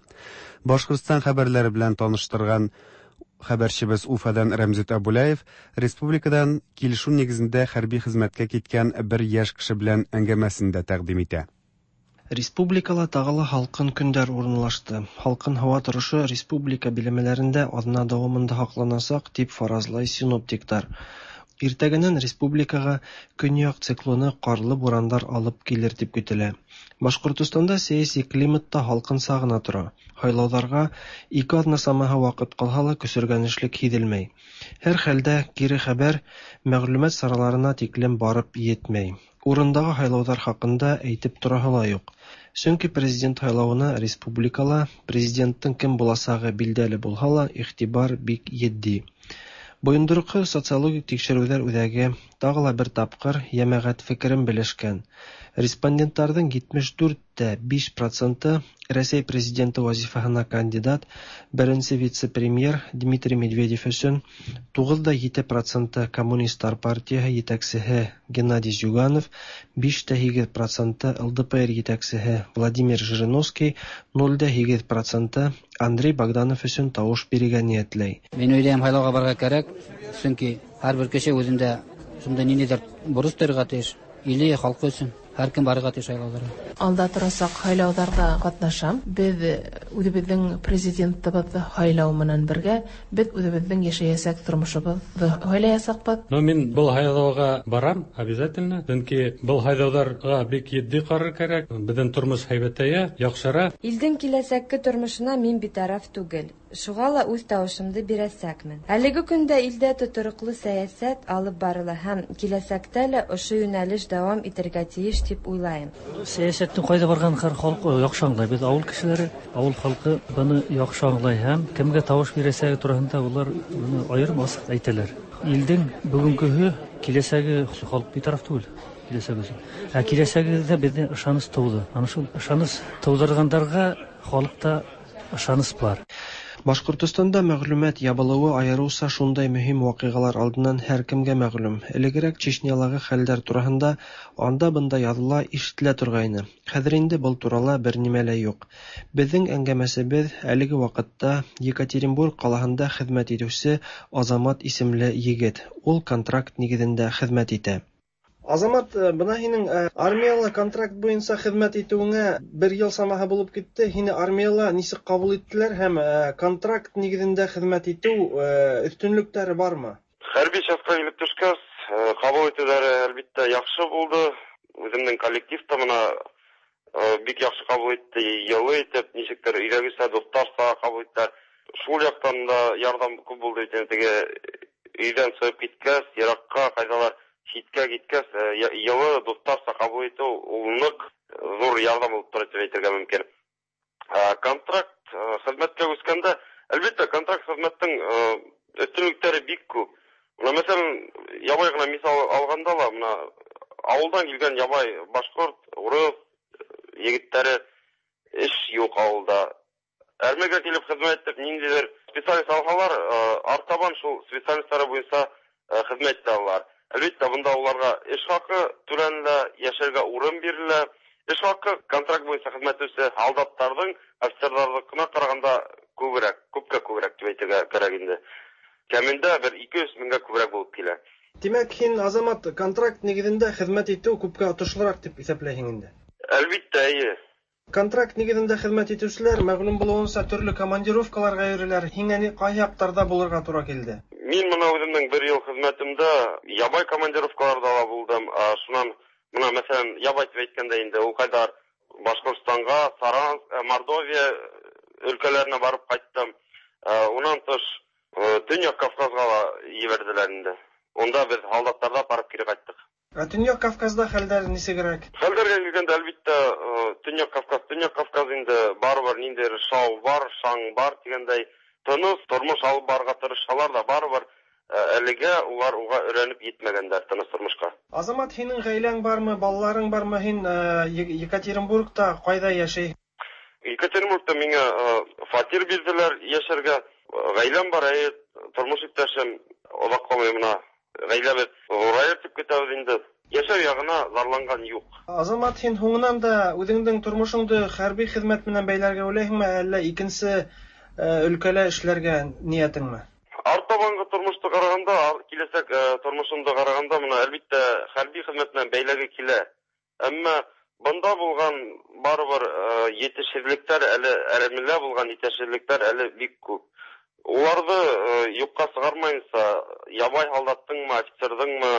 Башкортстан хәбәрләре белән таныштырган хәбәрчебез Уфадан Рәмзит Абулаев республикадан килешү нигезендә хәрби хезмәткә киткән бер яшь кеше белән әңгәмәсен дә тәкъдим итә. Республикала тагы ла һалкын көндәр урынлашты. Һалкын һава торышы республика биләмәләрендә аҙна дауамында һаҡланасаҡ, тип фаразлай синоптиктар. Иртәгенән республикаға көньяҡ циклоны ҡарлы бурандар алып килер тип көтөлә. Башҡортостанда сәйәси климат та һалҡынса ғына тора. Һайлауҙарға ике аҙна самаһы ваҡыт ҡалһа ла көсөргәнешлек һиҙелмәй. Һәр хәлдә кире хәбәр мәғлүмәт сараларына тиклем барып етмәй. Урындағы һайлауҙар хаҡында әйтеп тораһы ла юҡ. Сөнки президент һайлауына республикала президенттың кем буласағы билдәле булһа ла иғтибар бик етди. Бойондороҡһоҙ социологик тикшереүҙәр үҙәге тағы ла бер тапҡыр йәмәғәт фекерен белешкән. Респонденттарҙың етмеш дүрт тә биш проценты Рәсәй президенты вазифаһына кандидат беренсе вице-премьер Дмитрий Медведев өсөн, туғыҙ ҙа ете проценты Коммунисттар партияһы етәксеһе Геннадий Зюганов, биш тә һигеҙ проценты Л Д П Р етәксеһе Владимир Жириновский, ноль дә һигеҙ проценты Андрей Богданов өсөн тауыш бирергә ниәтләй. Мин уйлайым, һайлауға барырға кәрәк, сөнки һәр бер кеше үҙендә шундай ниндәйҙер бурыс тойорға тейеш, иле, халҡы өсөн. Һәр кем барырға тейеш һайлауҙарға. Алда торасаҡ һайлауҙарҙа ҡатнашам. Беҙ үҙебеҙҙең президентыбыҙҙы һайлау менән бергә беҙ үҙебеҙҙең йәшәйәсәк тормошобоҙҙо һайлаясаҡбыҙ. Но мин был һайлауға барам обязательно, сөнки был һайлауҙарға бик етди ҡарар кәрәк. Беҙҙең тормош һәйбәтәйә, яҡшыра. Илдең киләсәкке тормошона мин битараф түгел. Шуға ла үҙ тауышымды бирәсәкмен. Әлеге көндә илдә тотороҡло сәйәсәт алып барыла һәм киләсәктә лә ошо йүнәлеш дауам итергә тейеш тип уйлайым. Сәйәсәттең ҡайҙа барғанын һәр халыҡ яҡшы аңлай. Беҙ ауыл кешеләре, ауыл халҡы быны яҡшы аңлай һәм кемгә тауыш бирәсәге тураһында улар быны айырым асыҡ әйтәләр. Илдең бөгөнгөһө, киләсәге халыҡ битараф түгел. Киләсәге өсөн. Ә киләсәгебеҙҙә беҙҙең ышаныс тыуҙы. Ана шул ышаныс тыуҙырғандарға халыҡта ышаныс бар. Башҡортостанда мәғлүмәт ябылыуы айырыуса шундай мөһим ваҡиғалар алдынан һәр кемгә мәғлүм. Элегерәк Чечнялағы хәлдәр тураһында анда-бында яҙыла, ишетелә торғайны. Хәҙер инде был турала бер нимә лә юҡ. Беҙҙең әңгәмәсебеҙ әлеге ваҡытта Екатеринбург ҡалаһында хеҙмәт итеүсе Азамат исемле егет. Ул контракт нигеҙендә хеҙмәт итә. Азамат, бына һинең армияла контракт буйынса хеҙмәт итеүеңә бер йыл самаһы булып китте. Һине армияла нисек ҡабул иттеләр һәм контракт нигеҙендә хеҙмәт итеү өҫтөнлөктәре бармы? Хәрби частьҡа килеп төшкәс, ҡабул итеүҙәре әлбиттә яҡшы булды. Үҙемдең коллектив та бына бик яҡшы ҡабул итте, йылы итеп, нисектер өйҙәгесә, дуҫтарса ҡабул иттеләр. Шул яҡтан да ярҙам күп булды. Теге өйҙән сығып киткәс, йыраҡҡа ҡайҙалар ситкә киткәс, йылы дуҫтарса ҡабул итеү ул ныҡ ҙур ярҙам булып тора тип әйтергә мөмкин. Контракт хеҙмәткә күскәндә, әлбиттә, контракт хеҙмәттең өҫтөнлөктәре бик күп. Бына, мәҫәлән, ябай ғына миҫал алғанда ла, бына ауылдан килгән ябай башҡорт, урыҫ егеттәре эш юҡ ауылда. Әрмегә килеп хеҙмәт итеп, ниндәйҙер специалист алһалар, артабан шул специалисттары буйынса хеҙмәт итә алалар. Әлбиттә, бында уларға эш хаҡы түләнелә, йәшәргә урын бирелә. Эш хаҡы контракт буйынса хеҙмәт итеүсе һалдаттарҙың, офицерҙарҙыҡына ҡарағанда күберәк, күпкә күберәк тип әйтергә кәрәк инде. Кәмендә бер ике йөҙ меңгә күберәк булып килә. Тимәк, һин, Азамат, контракт нигеҙендә хеҙмәт итеү күпкә отошлораҡ тип иҫәпләйһең инде? Әлбиттә, эйе. Контракт нигеҙендә хеҙмәт итеүселәр мәғлүм булыуынса төрлө командировкаларға йөрөйләр. Һиңә ни ҡайһы яҡтарҙа булырға тура килде? Мин бына үҙемдең бер йыл хеҙмәтемдә ябай командировкаларҙа ла булдым. Шунан бына, мәҫәлән, ябай тип әйткәндә инде ул ҡайҙар Башҡортостанға, Саранск, Мордовия өлкәләренә барып ҡайттым. Унан тыш Төньяҡ Кавказға ла ебәрҙеләр инде. Унда беҙ һалдаттарҙа барып кире ҡайттыҡ. Ә Төньяк Кавказда хәлләр ничегрәк? Хәлләргә килгәндә, әлбиттә, Төньяк Кавказ, Төньяк Кавказ инде барыбер ниндидер шау бар, шаң бар дигәндәй, тыныч тормыш алып барырга тырышалар да, барыбер әлегә улар уга өйрәнеп җитмәгәннәр тыныч тормышка. Азамат, һинең гаиләң бармы, балаларың бармы? Һин Екатеринбургта кайда яшәй? Екатеринбургта миңа фатир бирделәр яшәргә. Гаиләм бар, әйе, тормыш иптәшем озак калмый менә. Гаиләбез зураеп дип көтәбез инде. Яшәү ягына зарланган юк. Азамат, һин һуңынан да үзеңнең тормышыңды хәрби хезмәт белән бәйләргә уйлыйсыңмы, әллә икенче өлкәлә эшләргә ниятеңме? Артабангы тормышты караганда, киләчәк тормышымды караганда, менә әлбиттә хәрби хезмәт белән бәйләге килә. Әмма бында булган барыбер етешсезлекләр әле, әле булган етешсезлекләр әле бик күп. Уларны юкка чыгармайынча, ябай солдаттыңмы, офицердыңмы,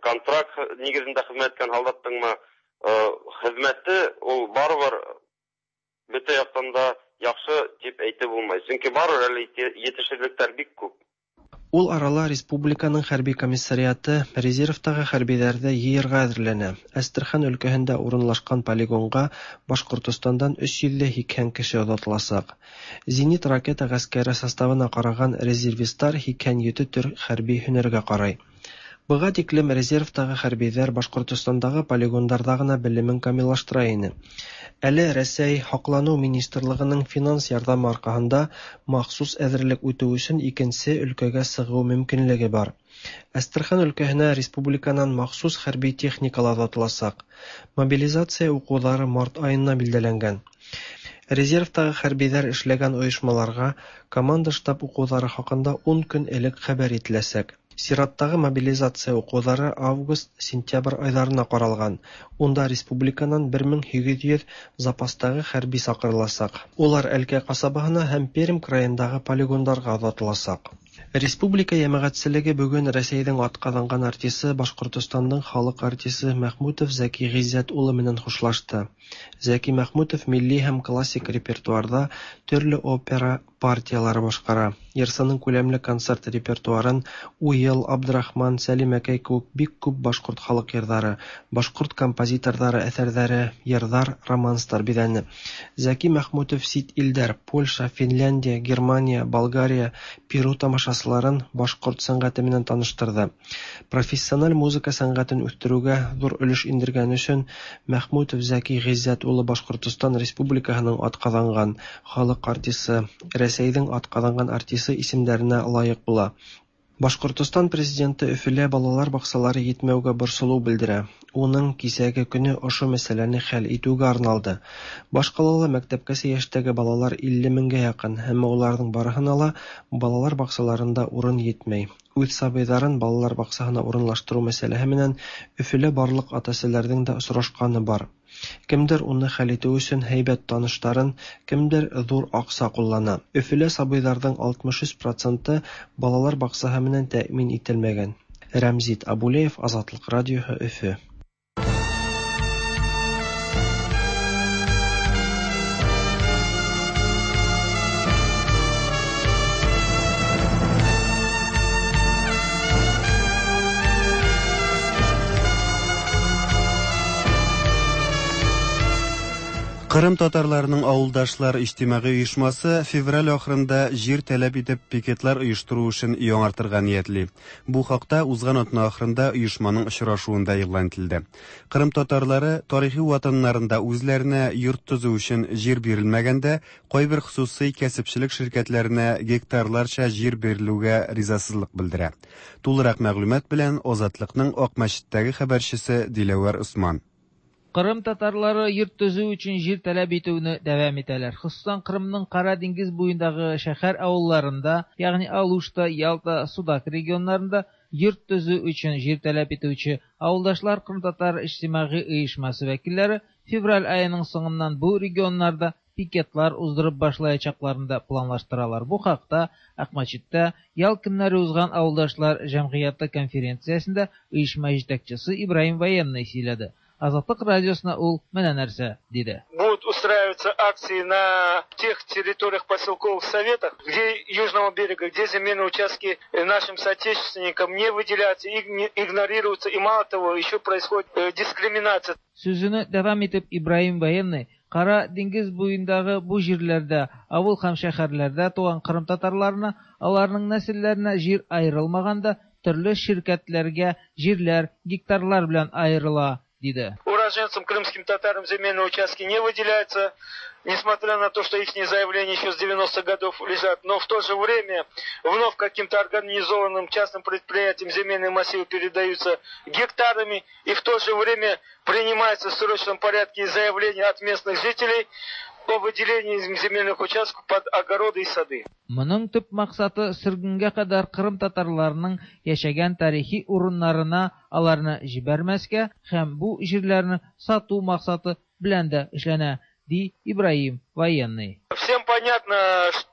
контракт нигезендә хезмәт иткән солдаттыңмы, хезмәте ул барыбер бөтә яктан да яхшы дип әйтеп булмай. Чөнки барыбер әле етешсезлекләр бик күп. Ул арала республиканың хәрби комиссариаты резервтагы хәрбиләрҙе йыйырға әҙерләнә. Әстерхан өлкәһендә урынлашҡан полигонға Башҡортостандан өс йөҙ һикһән кеше оҙатыласаҡ. Зенит ракета ғәскәре составына ҡараған резервисттар һикһән ете төр хәрби һөнәргә ҡарай. Быға тиклем резервтағы хәрбиҙәр Башҡортостандағы полигондарҙа ғына белемен камиллаштыра ине. Әле Рәсәй һаҡланыу министрлығының финанс ярҙамы арҡаһында махсус әҙерлек үтеү өсөн икенсе өлкәгә сығыу мөмкинлеге бар. Әстерхан өлкәһенә республиканан махсус хәрби техникалар оҙатыласаҡ. Мобилизация уҡыуҙары март айына билдәләнгән. Резервтағы хәрбиҙәр эшләгән ойошмаларға команда штаб уҡыуҙары хаҡында ун көн элек хәбәр ителәсәк. Сираттағы мобилизация уҡыуҙары август-сентябрь айҙарына ҡаралған. Унда республиканан бер мең һигеҙ йөҙ запастағы хәрби саҡырыласаҡ. Улар Әлкә ҡасабаһына һәм Пермь крайындағы полигондарға оҙатыласаҡ. Республика йәмәғәтселеге бөгөн Рәсәйҙең атҡаҙанған артисы, Башҡортостандың халыҡ артисы Мәхмүтов Зәки Ғиззәт улы менән хушлашты. Зәки Мәхмүтов милли һәм классик репертуарҙа төрлө опера партиялары башҡара. Йырсының күләмле концерт репертуарын Уйыл, Абдрахман, Сәлимәкәй кеүек бик күп башҡорт халыҡ йырҙары, башҡорт композиторҙары әҫәрҙәре, йырҙар, романстар биҙәне. Зәки Мәхмүтов сит илдәр Польша, Финляндия, Германия, Болгария, Перу тамашасыларын башҡорт сәнғәте менән таныштырҙы. Профессиональ музыка сәнғәтен үҫтереүгә ҙур өлөш индергән өсөн Мәхмүтов Зәки Ғиззәт улы Башҡортостан Республикаһының атҡаҙанған халыҡ артисы, Рәсәйҙең атҡаҙанған артисы исемдәренә лайыҡ була. Башҡортостан президенты Өфөлә балалар баҡсалары етмәүгә борсолоу белдерә. Уның кисәге көнө ошо мәсьәләне хәл итеүгә арналды. Баш ҡалала мәктәпкәсә йәштәге балалар илле меңгә яҡын, әммә уларҙың барыһына ла балалар баҡсаларында урын етмәй. Үҙ сабыйҙарын балалар баҡсаһына урынлаштырыу мәсьәләһе менән Өфөлә барлыҡ ата-әсәләрҙең дә осрашҡаны бар. Кемдер уны хәл итеү өсөн һәйбәт таныштарын, кемдер ҙур аҡса ҡуллана. Өфөлә сабыйҙарҙың алтмыш өс проценты балалар баҡсаһы менән тәьмин ителмәгән. Рәмзит Абулеев, Азатлыҡ радиоһы, Өфө. Кырым татарларының авылдашлар иҗтимагый оешмасы февраль ахырында җир таләп итеп пикетлар оештыру эшен яңартырга ниятли. Бу хакта узган атна ахырында оешманың очрашуында игълан ителде. Кырым татарлары тарихи ватаннарында үзләренә йорт төзү өчен җир бирелмәгәндә, кайбер хосусый кәсепчелек ширкәтләренә гектарларча җир бирелүгә ризасызлык белдерә. Тулырак мәгълүмат белән Азатлыкның Акмәчеттәге хәбәрчесе Диләвәр Усман. Кырым татарлары йорт төзү өчен җир таләп итүне дәвам итәләр. Хосусан Кырымның Кара диңгез буендагы шәһәр авылларында, ягъни Алушта, Ялта, Судак регионнарында йорт төзү өчен җир таләп итүче авылдашлар Кырым татар иҗтимагый оешмасы вәкилләре февраль аеның соңыннан бу регионнарда пикетлар уздырып башлаячакларын да планлаштыралар. Бу хакта Акмәчеттә ял көннәре узган авылдашлар җәмгыяте конференциясендә оешма җитәкчесе Ибраһим Военный сөйләде. Азатлык радиосына ул менә нәрсә диде. Будут устраиваться акции на тех территориях поселковых советов, где Южного берега, где земельные участки нашим соотечественникам не выделяются, игнорируются, и мало того, еще происходит дискриминация. Сүзен дәвам итеп Ибраһим Военный Кара диңгез буендагы бу җирләрдә, авыл һәм шәһәрләрдә туган кырым татарларына, аларның нәселләренә җир аерылмаганда, төрле ширкәтләргә җирләр гектарлар белән аерыла, диде. Уроженцам крымским татарам земельные участки не выделяются, несмотря на то, что их заявления еще с девяностых годов лежат, но в то же время вновь каким-то организованным частным предприятиям земельные массивы передаются гектарами, и в то же время принимается в срочном порядке заявления от местных жителей о выделении земельных участков под огороды и сады. Моның төп максаты сөргенгә кадәр кырым татарларының яшәгән тарихи урыннарына аларны җибәрмәскә һәм бу җирләрне сату максаты белән дә эшләнә, ди Ибраһим Военный. Всем понятно,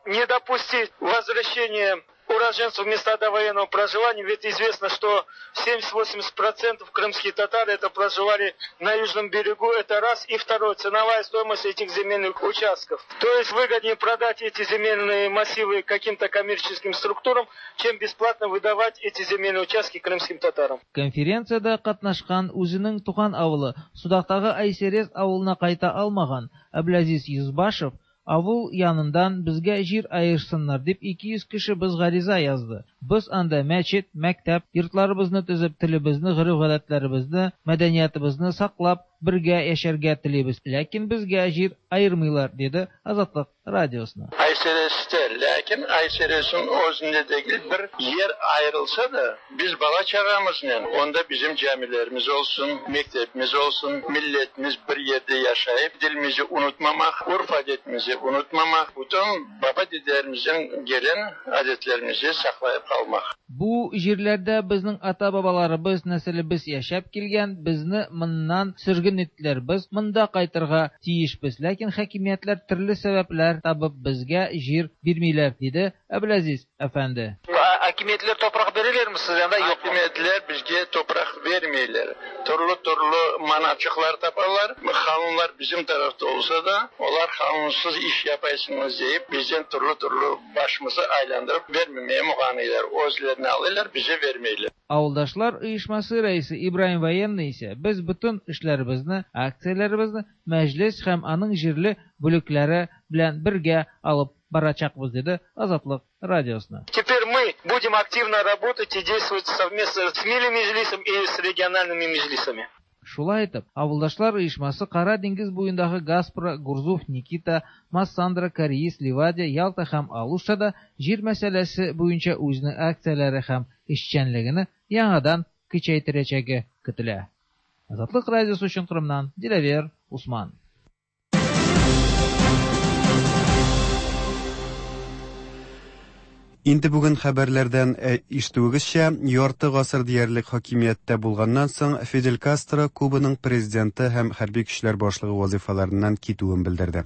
не допустить возвращения уроженцев в места довоенного проживания, ведь известно, что семьдесят-восемьдесят процентов крымские татары это проживали на южном берегу, это раз, и второе, ценовая стоимость этих земельных участков. То есть выгоднее продать эти земельные массивы каким-то коммерческим структурам, чем бесплатно выдавать эти земельные участки крымским татарам. Конференцияда катнашкан үзенең туган авылы Судактагы Айсерез авылына кайта алмаган Әбләзиз Юзбашев авыл янындан безгә җир аерсыннар дип ике йөз кеше без гариза язды. Без анда мәчет, мәктәп, йортларыбызны төзеп, телебезне, гореф-гадәтләребезне, мәдәниятыбызны саклап, бергә яшәргә телибез. Ләкин безгә җир аермыйлар, диде Азатлык радиосына. Айсересте, ләкин Айсересин өзүндә дегил бер ер айрылса да, биз бала чагамыз менен, онда bizim camilerimiz olsun, mektebimiz olsun, milletimiz bir yerde yaşayıp dilimizi unutmamak, urf adetimizi unutmamak, bütün baba dedelerimizden gelen adetlerimizi saklayıp kalmak. Бу җирләрдә безнең ата-бабаларыбыз, нәселебез яшәп килгән, безне моннан сөрген иттеләр. Без монда кайтырга тиешбез, ләкин хакимиятләр төрле сәбәпләр табып безгә җир бирмиләр, диде Әбләзиз әфәнде. Хакимиятләр топрак бирәләрме сезгә анда? Юк. Хакимиятләр безгә топрак бермиләр. Төрле-төрле маначыклар тапалар. Канунлар bizim tarafta olsa da, olar kanunsuz iş yapaysınız deyip bizden türlü-türlü başımızı aylandırıp vermemeye muğanıylar. Özlerini alırlar, bize vermeyler. Авылдашлар оешмасы рәисе Ибраһим Военный исә без бөтен эшләребезне, акцияләребезне мәҗлес һәм аның җирле бүлекләре белән бергә алып барачакбыз, диде Азатлык радиосына. Теперь мы будем активно работать и действовать совместно с Милли Меджлисом и с региональными меджлисами. Шулай итеп, авылдашлар оешмасы Кара диңгез буендагы Гаспра, Гурзуф, Никита, Массандра, Кариис, Ливадия, Ялта һәм Алуштада җир мәсьәләсе буенча үзенең акцияләре һәм эшчәнлеген яңадан көчәйттерәчәге көтелә. Азатлык радиосы өчен Кырымнан Диләвер Усман. Инде бүген хәбәрләрдән ишетүегезчә, ярты гасыр диярлек хакимияттә булганнан соң Фидель Кастро Кубаның президенты һәм хәрби көчләр башлыгы вазифаларыннан китүен белдерде.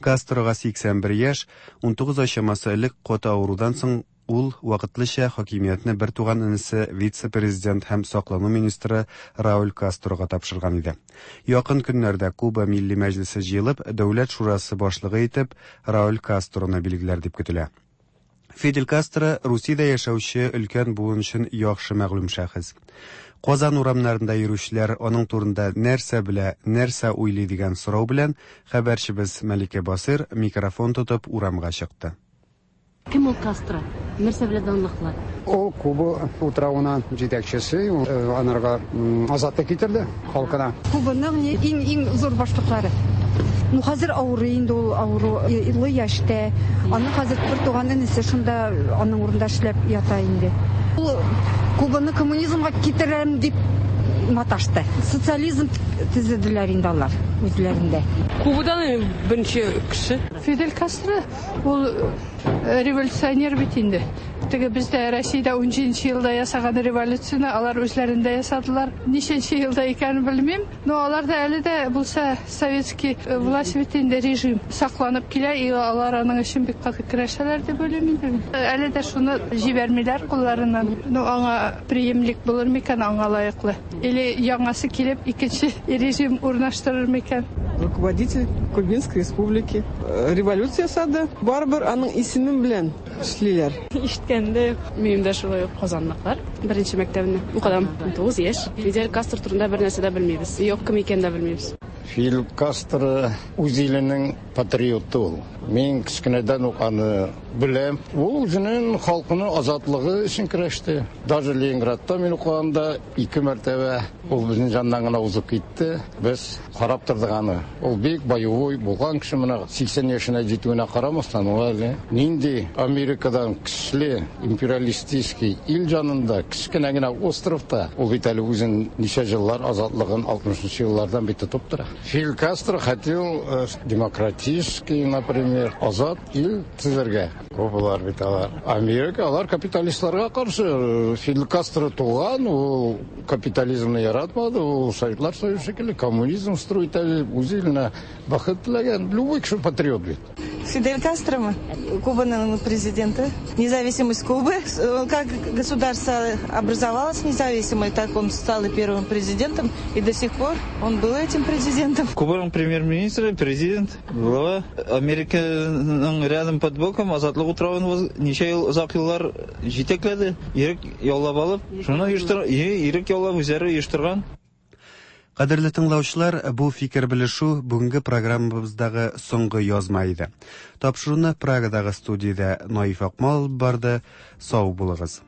Кастрога сиксән бер яшь, унтугыз ай чамасы элек каты авырудан соң ул вакытлыча хакимиятне бер туган энесе вице-президент һәм саклану министры Рауль Кастрога тапшырган иде. Якын көннәрдә Куба Милли Мәҗлесе җыелып, Дәүләт шурасы башлыгы итеп Рауль Кастроны билгеләр дип көтелә. Фидель Кастро Русиядә яшәүче өлкән буын өчен яхшы мәгълүм шәхес. Казан урамнарында йөрүчеләр аның турында нәрсә белә, нәрсә уйлый дигән сорау белән хәбәрчебез Мәликә Басыр микрофон тотып урамга чыкты. Кем ул Кастро? Нәрсә белән данлыклы? Ул Куба утравына җитәкчесе, анарга азатлык китерде халкына. Кубаның иң иң зур башлыклары. Ну, хәзер авырый инде ул, авыру илле яшьтә. Аның хәзер бер туган энесе шунда аның урында эшләп ята инде. Ул Кубаны коммунизмга китерәм дип маташты. Социализм төзеделәр инде алар үзләрендә. Кубадан беренче кеше. Фидель Кастро ул революционер бит инде. Теге бездә Россиядә унҗиденче елда ясаган революцияне алар үзләрендә ясадылар. Ничәнче елда икәнен белмим, но алар да әле дә булса советский власть бит инде, режим сакланып килә, и алар аның өчен бик каты көрәшәләр дип уйлыйм инде. Әле дә шуны җибәрмиләр кулларыннан. Ну, аңа преемник булыр микән, аңа лаеклы? Или яңасы килеп икенче режим урнаштырыр микән? Руководитель Кубинской республики революция ясады. Барыбер аның исеме белән эшлиләр. Ишеткәндә минем дә шулай ук казанлыклар. Беренче мәктәбендә укыдым. Тугыз яшь. Фидель Кастро турында бер нәрсә дә белмибез. Юк, кем икәнен дә белмибез. Фидель Кастро үз иленең патриоты ул. Мин кечкенәдән үк аны беләм. Ул үзенең халкының азатлыгы өчен көрәште. Даже Ленинградта мин укыганда ике мәртәбә ул безнең яннан гына узып китте. Без карап тордык аны. Ул бик боевой булган кеше, менә сиксән яшенә җитүенә карамастан, ул әле нинди Америкадан көчле империалистический ил янында, кечкенә генә островта, ул бит әле үзен ничә еллар азатлыгын алтмышынчы еллардан бит тотып тора. Фидель Кастро хотел демократический, например, азат ил төзергә. Кубалар бит алар. Америка, алар капиталистларга каршы. Фидель Кастро туган, ул капитализмны яратмады, ул Советлар Союзы шикелле коммунизм строить үз иленә бәхет теләгән. Любой кеше патриот бит. Фидель Кастро, Кубаның президенты. Независимость Кубы. Как государство образовалось независимое, так он стал и первым президентом, и до сих пор он был этим президентом. Кубаның премьер-министры, президент, глава Американың рядом под боком азатлык утравын ничә ел, озак еллар җитәкләде, ирек яулап алып, шуны оештыр, ирек яулап үзләре оештырган. Кадерле тыңлаучылар, бу фикер белешү бүгенге программабыздагы соңгы язма иде. Тапшыруны Прагадагы студиядә Наиф Акмал барды. Сау булыгыз.